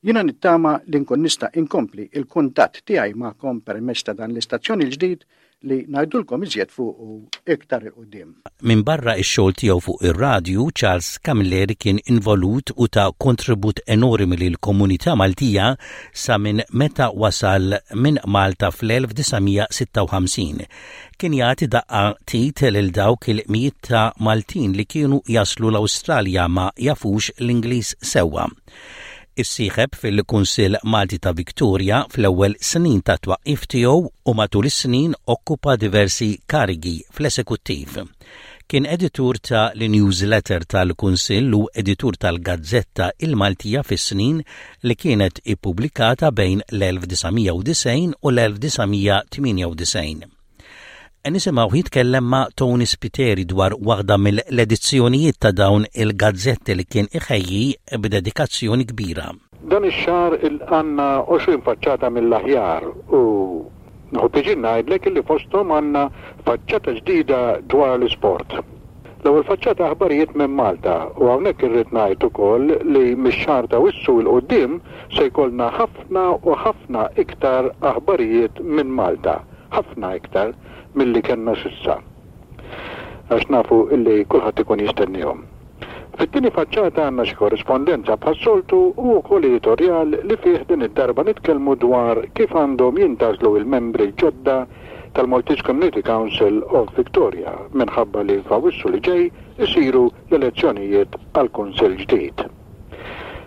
Jiena nittama li nkun nista' inkompli il-kuntatt tiegħi magħkom permezz ta' dan l-istazzjon il-ġdid li ngħidulkom iżjed fuq iktar 'il quddiem. Min barra ix-xogħol tiegħu fuq ir-radju, Charles Camilleri kien involut u ta kontribut enormi lil komunità Maltija sa minn meta wasal minn Malta fl-elf disa' mija sitta u ħamsin. Kien jagħti daqqa t'id lil dawk il-mijiet ta' Maltin li kienu jaslu l-Awstralja ma jafux l-Ingliż sewwa. Issieħeb fil-Kunsill Malti ta' Victoria fl-ewwel snin ta' twaqqif tiegħu u matul is-snin okkupa diversi karigi fl-esekuttiv. Kien editur ta' l-newsletter tal-Kunsill u editur tal-Gazzetta il-Maltija fis-snin li kienet ippubblikata bejn l-elf disa' mija u disgħin u l-elf disa' mija tmienja u disgħin. Nisimgħu jitkellem ma' Tony Spiteri dwar waħda mill-edizzjonijiet ta' dawn il-gazzetti li kien iħejji b'dedikazzjoni kbira. Dan ix-xahar għandna għoxrin faċċata mill-aħjar u nieħu pjaċir ngħidlek li fosthom għandna faċċata ġdida dwar l-isport. L-ewwel faċċata aħbarijiet minn Malta, u hawnhekk irrid ngħid ukoll li mix-xahar ta' Awwissu 'l quddiem se jkollna ħafna u ħafna iktar aħbarijiet minn Malta, ħafna iktar milli kellna s'issa. Għax nafu illi kulħadd ikun jistennihom. Fit-tieni faċċata għandna xi korrispondenza bħas-soltu u wkoll editorjal li fih din id-darba nitkellmu dwar kif għandhom jintgħażlu il-membri ġodda tal-Maltese Community Council of Victoria, minħabba li f'Awwissu li ġej isiru l-elezzjonijiet għal kunsill ġdid.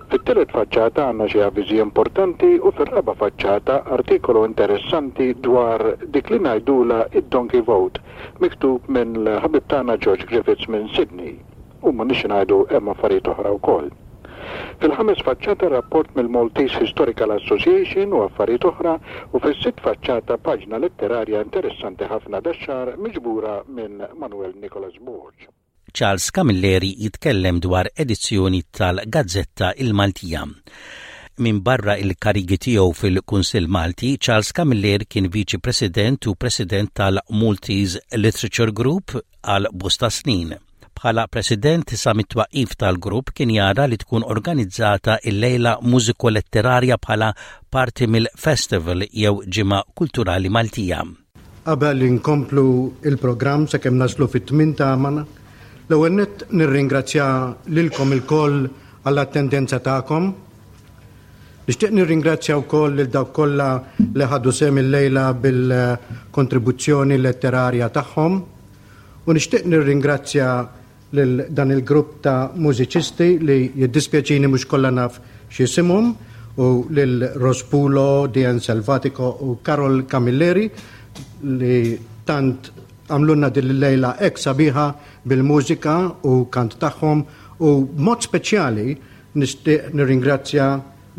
Fit-tielet faċċata għandna xi avviżi importanti u fir-raba' faċċata artikolu interessanti dwar dik li ngħidula id-Donkey Vote, miktub minn l-ħabib tagħna George Griffiths minn Sydney. U ma nix ngħidu hemm affarijiet oħra wkoll. Fil-ħames faċċata rapport mill-Maltese Historical Association u affarijiet oħra, u fis-sitt faċċata paġna letterarja interessanti ħafna dax-xahar miġbura minn Manuel Nicholas Borg. Charles Camilleri jitkellem dwar edizzjoni tal-Gazzetta il-Maltija. Minbarra il-karigi tiegħu fil-Kunsill Malti, Charles Camilleri kien Viċi President u President tal-Maltese Literature Group għal bosta snin. Bħala President sa mit-twaqif tal-grupp kien jara li tkun organizzata il-lejla mużiko-letterarja bħala parti mill-festival jew ġimgħa kulturali Maltija. Qabel inkomplu il-programm sakemm naslu fit-tmien tagħna, l-ewwel nett nirringrazzja lilkom ilkoll għall-attendenza tagħkom. Nixtieq nirringrazzja wkoll lil dawk kollha li ħadu sehem illejla bil-kontribuzzjoni letterarja tagħhom u nixtieq nirringrazzja lil dan il-grupp ta' mużiċisti li jiddispjaċini mhux kollha naf x'isimhom u lil Rospulo, Dian Selvatico u Karol Camilleri li tant għamlulna din il-lejla hekk sabiħa bil-mużika u kant tagħhom u b'mod speċjali nixtieq nirringrazzja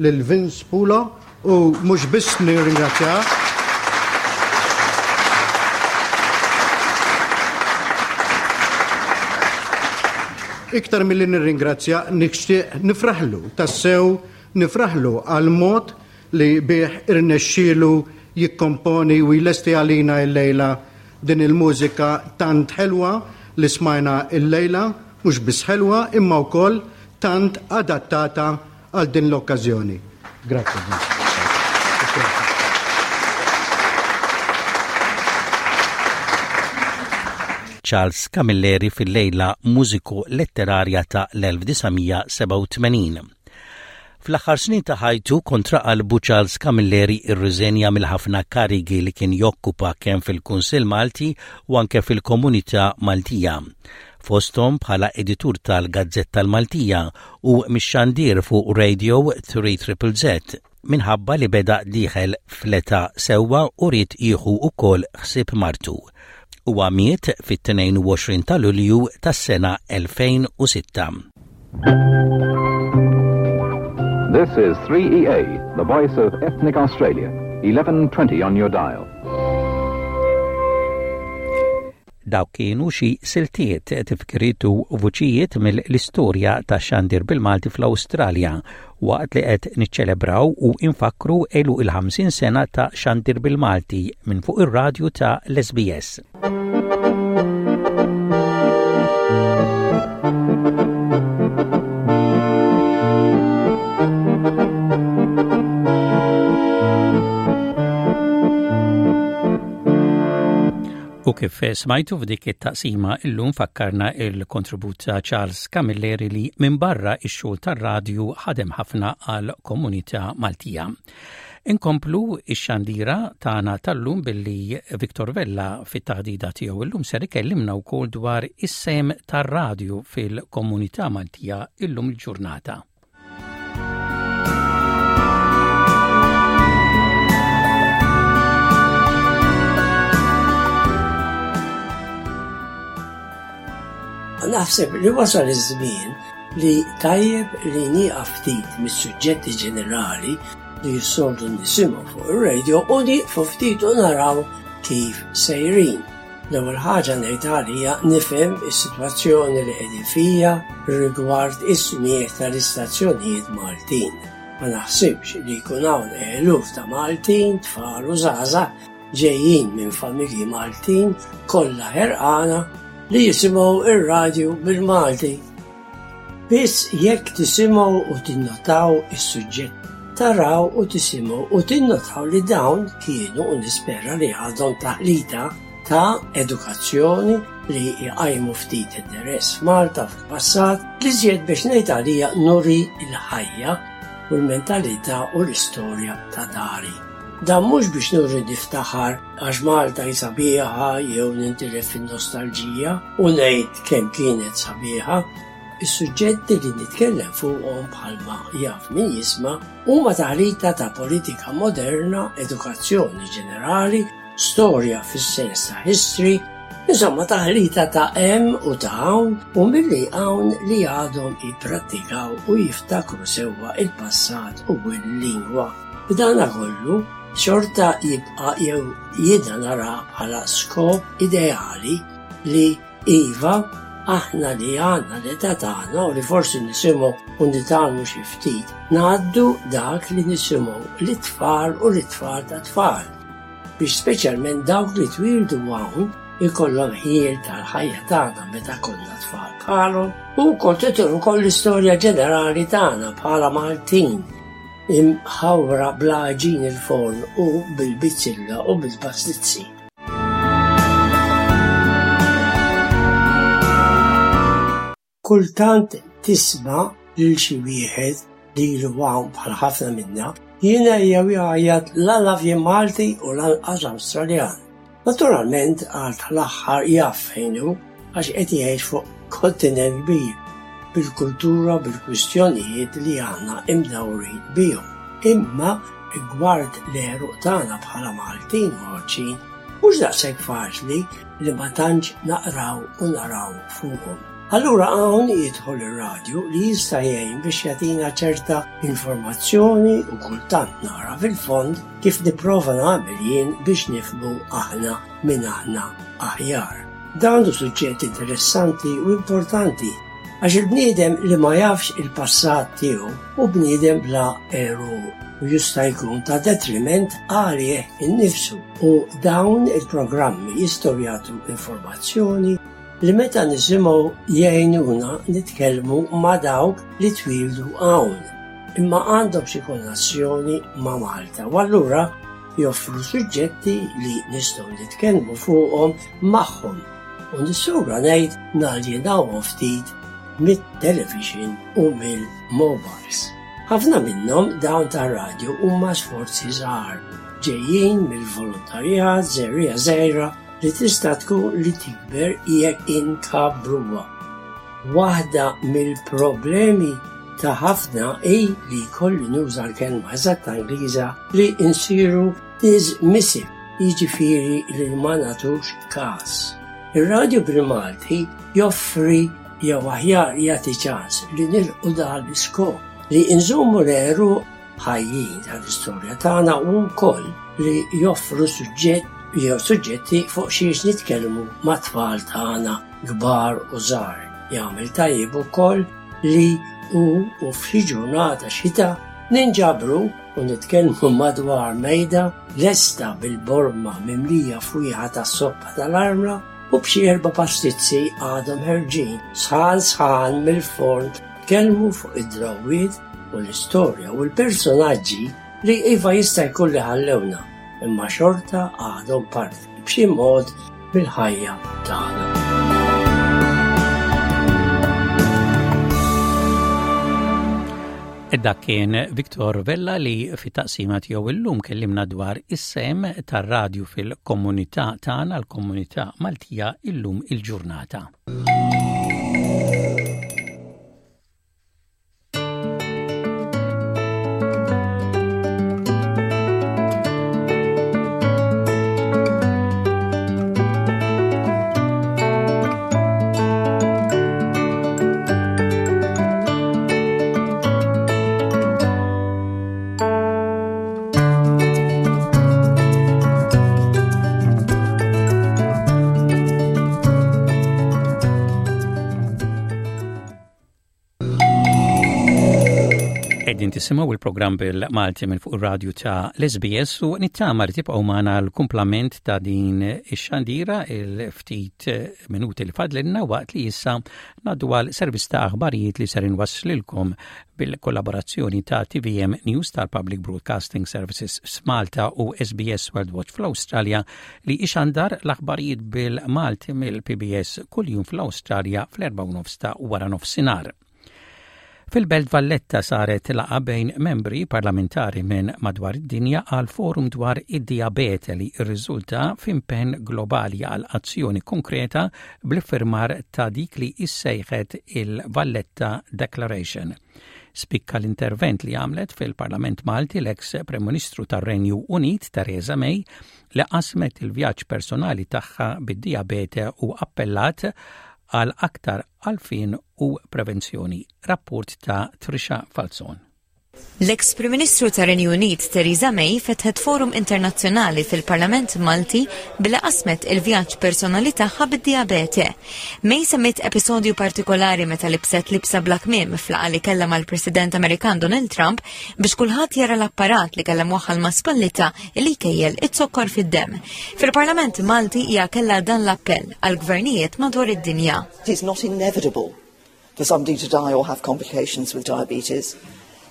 lil Vince Pulo u mhux biss nirringrazzja Iktar milli nirringrazzja nixtieq nifraħlu, tassew nifraħlu għal mod li bih irnexxielu jikkomponi u jlesti għalina l-lejla din il-mużika tant ħelwa li smajna l-lejla, mhux biss ħelwa imma wkoll tant adattata għal din l-okkażjoni. Grazie. Charles Camilleri fil-lejla mużiko-letterarja ta' l-elf disa' mija sebgħa u tmenin. Fl-aħħar snin ta' ħajtu kontra qalbu Charles Camilleri irriżenja mill-ħafna karigi li kien jokkupa kemm fil-Kunsill Malti u anke fil-Komunità Maltija. Fosthom bħala editur tal-Gazzetta l-Maltija u mix-xandir fuq Radio three Triple Z minħabba li beda dieħel fl-età sewwa u ried jieħu wkoll ħsieb martu. Huwa miet fit-tnejn u għoxrin ta' Lulju tas-sena elfejn u sitta. This is three E A, the voice of ethnic Australia, eleven twenty on your dial. Dawk kienu xi siltiet, tifkiriet u vuċijiet mill-istorja ta' xandir bil-Malti fl-Awstralja waqt li qed niċċelebraw u infakru għeluq il-ħamsin sena ta' xandir bil-Malti minn fuq ir-radju ta' l-S B S. U kif smajtu f'dik it-taqsima illum fakkarna il-kontribut ta' Charles Camilleri li minn barra ix-xogħol tar-radju ħadem ħafna għal komunità Maltija. Inkomplu ix-xandira tagħna tal-lum billi Victor Vella fit-taħdida tiegħu illum ser ikellimna wkoll dwar is-sem tar-radju fil-komunità Maltija illum il-ġurnata. Naħseb li wasal iż-żmien li tajjeb li nieqaf ftit mis-suġġetti ġenerali li jissoltu nisimgħu fuq ir-radio u nieqfu ftit u naraw kif sejrin. L-ewwel ħaġa ngħid għalija nifhem is-sitwazzjoni li qegħdin fija rigward is-smigħ tal-istazzjonijiet Maltin. Ma naħsibx li jkun hawn eluf ta' Maltin, tfal u żgħażagħ ġejjin minn familji Maltin kollha ħerqana li jisimgħu ir-radju bil-Malti. Biss jekk tisimgħu u tinnotaw is-suġġett, taraw u tisimgħu u tinnotaw li dawn kienu u nispera li għadhom taħlita ta' edukazzjoni li jqajmu ftit interess f'Malta fil-passat li żjed biex ngħid għalija nuri l-ħajja u l-mentalità u l-istorja ta' dari. Dan mhux biex nuri niftaħar għax Malta hi sabiħa jew nintilef fin-nostalġija u ngħid kemm kienet sabiħa. Is-suġġetti li nitkellem fuqhom bħalma jaf min jisma' huma taħlita ta' politika moderna, edukazzjoni ġenerali, storja fis-sens ta' history, insomma taħlita ta' hemm u ta' hawn u milli hawn li għadhom jipprattikaw u jiftakru sewwa il-passat u l-lingwa. B'dana kollu, xorta jibqa' jew jiena nara bħala skop ideali li iva aħna li għandna l-età tagħna u li forsi nisimgħu u nitgħallmu xi ftit, ngħaddu dak li nisimgħu lit-tfal u lit-tfal ta' tfal. Biex speċjalment dawk li twildu hawn ikollhom ħjiel tal-ħajja tagħna meta konna tfal bħalhom u wkoll titur ukoll l-istorja ġenerali tagħna bħala Maltin imħawra bl-għaġin il-forn u bil-bizzilla u bil-pastizzi. Kultant tisma' lil xi wieħed li ilu hawn bħal ħafna minna jiena jew jgħajjat la naf jien Malti u lanqas Awstraljan. Naturalment għal tal-aħħar jaf fejn hu għax qed jgħix fuq kontinent kbir bil-kultura bil-kwistjonijiet li aħna imdawrin bihom. Imma rigward l-għeruq tagħna bħala Maltin u Għawdxin mhux daqshekk faċli li ma tantx naqraw u naraw fuqhom. Allura hawn jidħol ir-radju li jista' jgħin biex jagħtina ċerta informazzjoni u kultant nara fil-fond kif nipprova nagħmel jien biex nifhmu aħna min aħna aħjar. Dan hu suġġett interessanti u importanti għax il-bniedem li ma jafx il-passat tiegħu hu bniedem bla għeruq u jista' jkun ta' detriment għalih innifsu u dawn il-programmi jistgħu jagħtu informazzjoni li meta nisimgħu jgħinuna nitkellmu ma' dawk li twildu hawn imma għandhom xi konnessjoni ma' Malta u allura joffru suġġetti li nistgħu nitkellmu fuqhom magħhom u nissogra ngħid naljenawhom ftit mit-television u mill-mobiles. Ħafna minnhom dawn tar-radju huma sforzi żgħar ġejjin mill-volontarjat żerriegħa żgħira li tista' tkun li tikber jekk inkabbruha. Waħda mill-problemi ta' ħafna hi li jkolli nuża l-kelma eżatta Ingliża li nsiru dismissive, jiġifieri li ma nagħtux każ. Ir-radju bil-Malti joffri jew aħjar jagħti ċans li nilħqu dan l-iskop li nżommu l-għeruq ħajjin tal-istorja tagħna u wkoll li joffru suġġett jew suġġetti fuq xiex nitkellmu mat-tfal tagħna kbar u żgħar. Jagħmel tajjeb ukoll li u u f'xi ġurnata xita ninġabru u nitkellmu madwar mejda lesta bil-borma mimlija fwieħa tas-soppa tal-armla u b'xi erba' pastizzi għadhom ħerġin sħan sħan mill-forn tkellmu fuq id-drawwiet u l-istorja u l-personaġġi li iva jista' jkun li ħallewna imma xorta għadhom parti b'xi mod mill-ħajja tagħna. Dak kien Victor Vella li fit-taqsima tiegħu illum kellimna dwar is-sehem tar-radju fil-komunità tagħna, l-komunità Maltija illum il-ġurnata. Qegħdin tisimgħu il-programm bil-Malti minn fuq ir-radju ta' l-S B S u nittama li tibqgħu magħna l-kumplament ta' din ix-xandira il-ftit minuti li fadlilna, waqt li issa ngħaddu għal servizz ta' aħbarijiet li ser inwasslilkom bil-kollaborazzjoni ta' T V M News tal-Public Broadcasting Services f'Malta u S B S World Watch fl-Awstralja, li ixandar l-aħbarijiet bil-Malti mill-P B S kuljum fl-Awstralja fl-erbgħa u nofs ta' wara nofsinhar. Fil-Belt Valletta saret laqgħa bejn membri parlamentari minn madwar id-dinja għal forum dwar id-diabete li rriżulta f'impenn globali għal azzjoni konkreta bl-iffirmar ta' dik li issejħet il-Valletta Declaration. Spikka l-intervent li għamlet fil-Parlament Malti l-ex Prim Ministru tar-Renju Unit Theresa May, li qasmet il-vjaġġ personali tagħha bid-diabete u appellat għal aktar għarfien u prevenzjoni. Rapport ta' Trisha Falzon. L-ex Prim Ministru tar-Renju Unit Theresa May fetħet forum internazzjonali fil-Parlament Malti billi qasmet il-vjaġġ personali tagħha bid-diabete. May semmiet episodju partikolari meta libset libsa bla kmiem f'laqgħa li kellha mal-President Amerikan Donald Trump biex kulħadd jara l-apparat li kellha mwaħħal ma' spallitha li jkejjel it-zokkor fid-dem. Fil-Parlament Malti hija kellha dan l-appell għal gvernijiet madwar id-dinja. It is not inevitable for somebody to die or have complications with diabetes.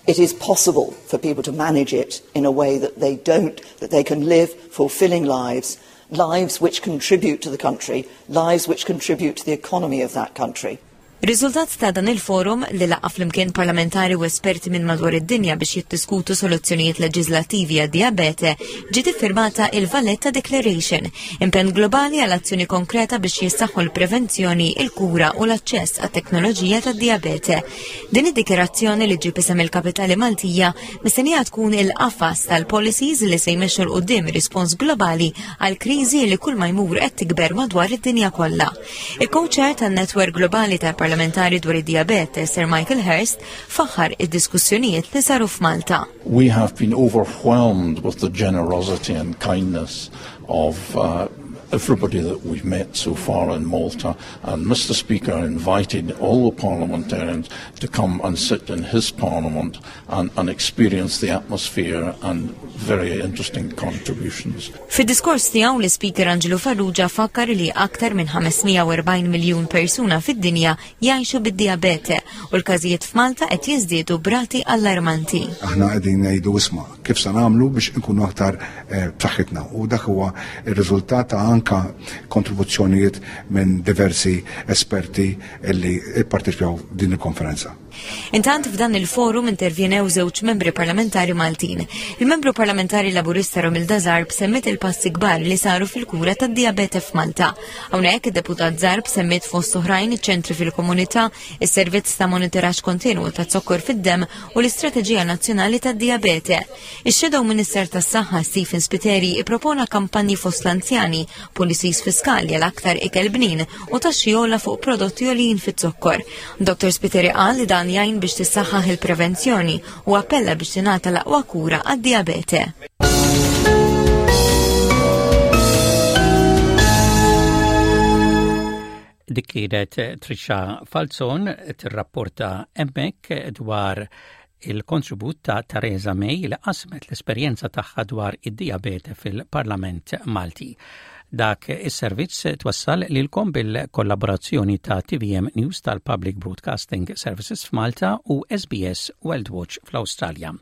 It is possible for people to manage it in a way that they don't, that they can live fulfilling lives, lives which contribute to the country, lives which contribute to the economy of that country. Riżultat ta' dan il-forum li laqqa' flimkien parlamentari u esperti minn madwar id-dinja biex jiddiskutu soluzzjonijiet leġislattivi għad-diabete, ġiet iffirmata il-Valletta Declaration, impenn globali għal azzjoni konkreta biex jissaħħu l-prevenzjoni, il-kura u l-aċċess għat-teknoloġija tad-diabete. Din id-dikjarazzjoni li ġib isem il-kapitali Maltija mistennija tkun il-qafas tal-policies li se jmexxu 'l quddiem rispons globali għal kriżi li kull ma jmur qed tikber madwar id-dinja kollha. Il-co-chair tan-Netwerk Globali tal-Parlamentari dwar id-diabete, Sir Michael Hurst, faħħar id-diskussjonijiet li saru f'Malta. We have been overwhelmed with the generosity and kindness of uh, everybody that we've met so far in Malta. And Mister Speaker invited all the parliamentarians to come and sit in his parliament and, and experience the atmosphere and very interesting contributions. Fid-diskors tiegħu, l-Speaker Angelo Farrugia fakkar li aktar minn ħames mija u erbgħin miljun persuna fid-dinja jgħixu bid-diabete u l-każijiet f'Malta qed jiżdiedu b'rati allarmanti. Aħna qegħdin ngħidu, isma', kif se nagħmlu biex inkunu aktar eh, b'saħħitna, u dak huwa r-riżultat ta' anka kontribuzzjonijiet minn diversi esperti li ipparteċipaw din il-konferenza. Intant, f'dan il-forum intervjenew żewġ membri parlamentari Maltin. Il-membru parlamentari Laburista Romilda Zarb semmiet il-passi kbar li saru fil-kura tad-diabete f'Malta. Hawnhekk id-deputat Zarb semmiet fost oħrajn iċ-ċentri fil-komunità, is-servizz ta' monitoraġġ kontinwu ta' zokkor fid-dem u l-Istrateġija Nazzjonali tad-Diabete. Ix-Shadow Minister tas-Saħħa Stephen Spiteri ippropona kampanji fost l-anzjani, policies fiskali għal aktar ikel bnin u taxxi ogħla fuq prodotti għoljin fit-zokkor. Doktor Spiteri qal li dan jgħin biex tissaħħaħ il-prevenzjoni u appella biex tingħata l-aqwa kura għad-diabete. Dik kienet Trisha Falzon tirrapporta hemmhekk dwar il-kontribut ta' Theresa May li qasmet l-esperjenza tagħha dwar id-diabete fil-Parlament Malti. Dak is-servizz twassal lilkom bil-kollaborazzjoni ta' T V M News tal-Public Broadcasting Services f'Malta u S B S World Watch fl-Awstralja.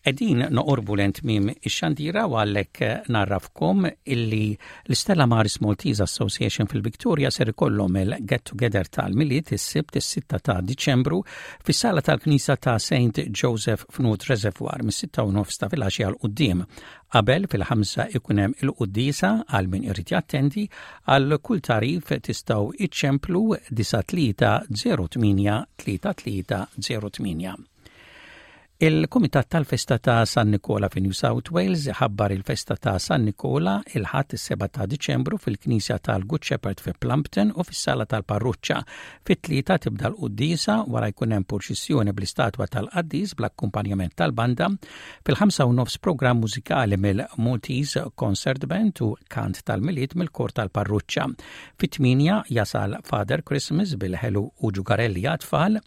Qegħdin noqorbu lejn tmiem ix-xandira u għalhekk ngħarrafkom illi l-Stella Maris Maltese Association fil-Victoria ser ikollhom il-Get Together tal-Milied is-Sibt is-sitta ta' Diċembru fis-sala tal-Knisa ta' Saint Joseph f'North Reservoir mis-sitta u nofs ta' filgħaxija 'l quddiem. Qabel fil-ħamsa ikun hemm il-quddiesa għal min irid jattendi. Għal kull tagħrif tistgħu iċċemplu disa' tlieta zero tmienja tlieta tlieta zero tmienja. Il-Kumitat tal-Festa ta' San Nikola fi New South Wales ħabbar il-Festa ta' San Nikola il-Ħadd is-seba' ta' Diċembru fil-Knisja tal-Good Shepherd fi Plumpton u fis-Sala tal-Parruċċa. Fit-tlieta tibda l-quddiesa, wara jkun hemm purċissjoni bl-istatwa tal-qaddis bl-akkumpanjament tal-banda. Fil-ħamsa u nofs programm mużikali mill-Maltese Concert Band u kant tal-Milied mill-kor tal-Parruċċa. Fit-tmienja jasal Father Christmas bil-ħelu u ġugarelli għat-tfal.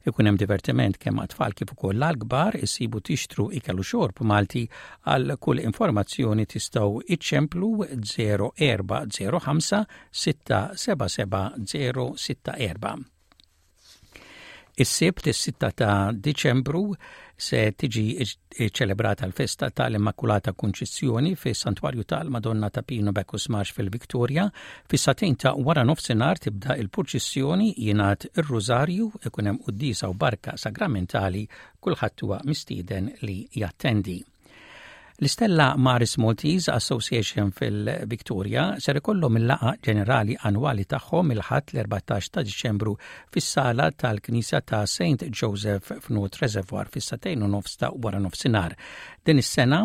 Ikun hemm divertiment kemm għat-tfal kif ukoll għall-kbar, issibu tixtru ikel u xorb Malti. Għal kull informazzjoni tistgħu iċċemplu zero erba' zero ħamsa sitta seba' seba' zero sitta erba'. Is-Sibt is-sitta ta' Diċembru se tiġi ċelebrata l-festa tal-Immakulata Kunċizzjoni fis Santwarju tal-Madonna ta' Pino Bacchus Marsh fil-Victoria. Fis-sagħtejn ta' wara nofsinhar tibda il-purċissjoni, jingħad ir-Rużarju, ikun hemm quddiesa u barka sagramentali, kulħadd huwa mistieden li jattendi. L-Stella Maris Maltese Association fil-Victoria ser ikollhom il-laqgħa ġenerali annwali tagħhom il-Ħadd l-erbatax ta' Diċembru fis-sala tal-Knisja ta' Saint Joseph f'North Reservoir fis-sagħtejn u nofs ta' wara nofsinhar. Din is-sena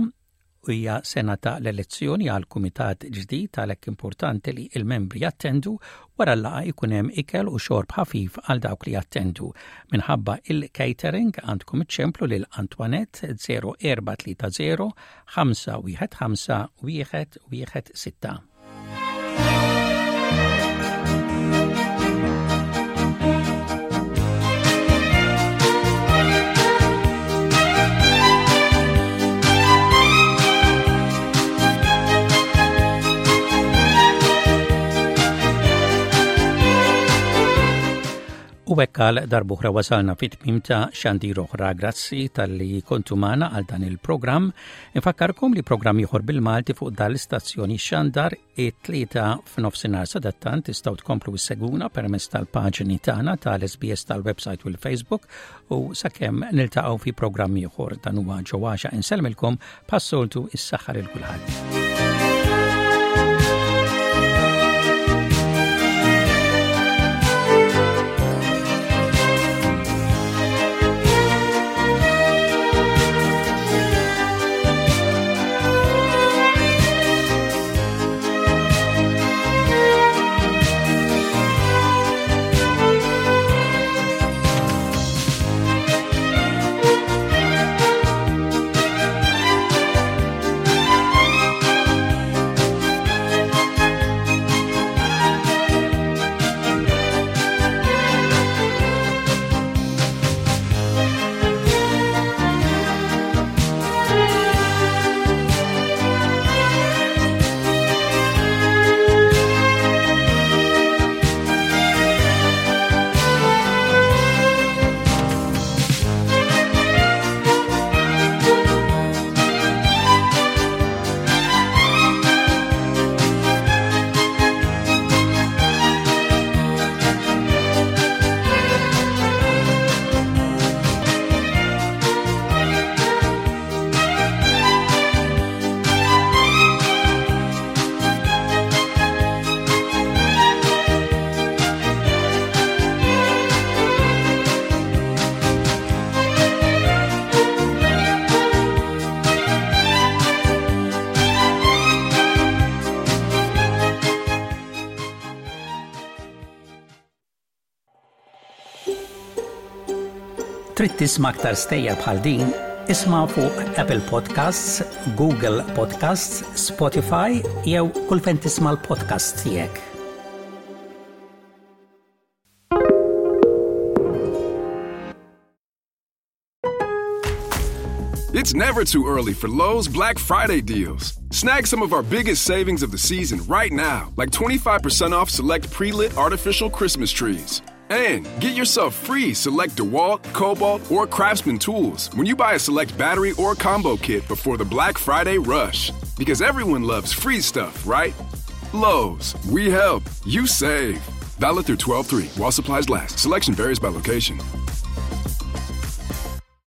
Hija sena ta' l-elezzjoni għal kumitat ġdid għalhekk importanti li il-membri jattendu wara l-laqgħa jkun hemm ikel u xorb ħafif għal dawk li jattendu. Minħabba il-catering għandkom iċċemplu lil Antoinette zero erba' tlieta zero ħamsa wieħed ħamsa wieħed wieħed sitta. U hekk għal darb'oħra wasalna fit-tmiem ta' xandir oħra. Grazzi talli kontu magħna għal dan il-programm. Infakkarkom li programm ieħor bil-Malti fuq dal-istazzjoni xandar it-Tlieta f'nofsinhar. Sadattant tistgħu tkomplu ssegwuna permezz tal-paġni tagħna tal-S B S tal-website u l-Facebook u sakemm niltaqgħu fi programm ieħor dan huwa ġewwaxa insellmilkom bħas-soltu is-saħħa lil kulħadd. Trid tisma' aktar stejjer bħal din? Isma' fuq Apple Podcasts, Google Podcasts, Spotify jew kull fejn tisma' l-podcast tiegħek. It's never too early for Lowe's Black Friday deals. Snag some of our biggest savings of the season right now, like twenty-five percent off select pre lit artificial Christmas trees. And get yourself free select DeWalt, Kobalt, or Craftsman tools when you buy a select battery or combo kit before the Black Friday rush. Because everyone loves free stuff, right? Lowe's, we help, you save. Valid through twelve three while supplies last. Selection varies by location.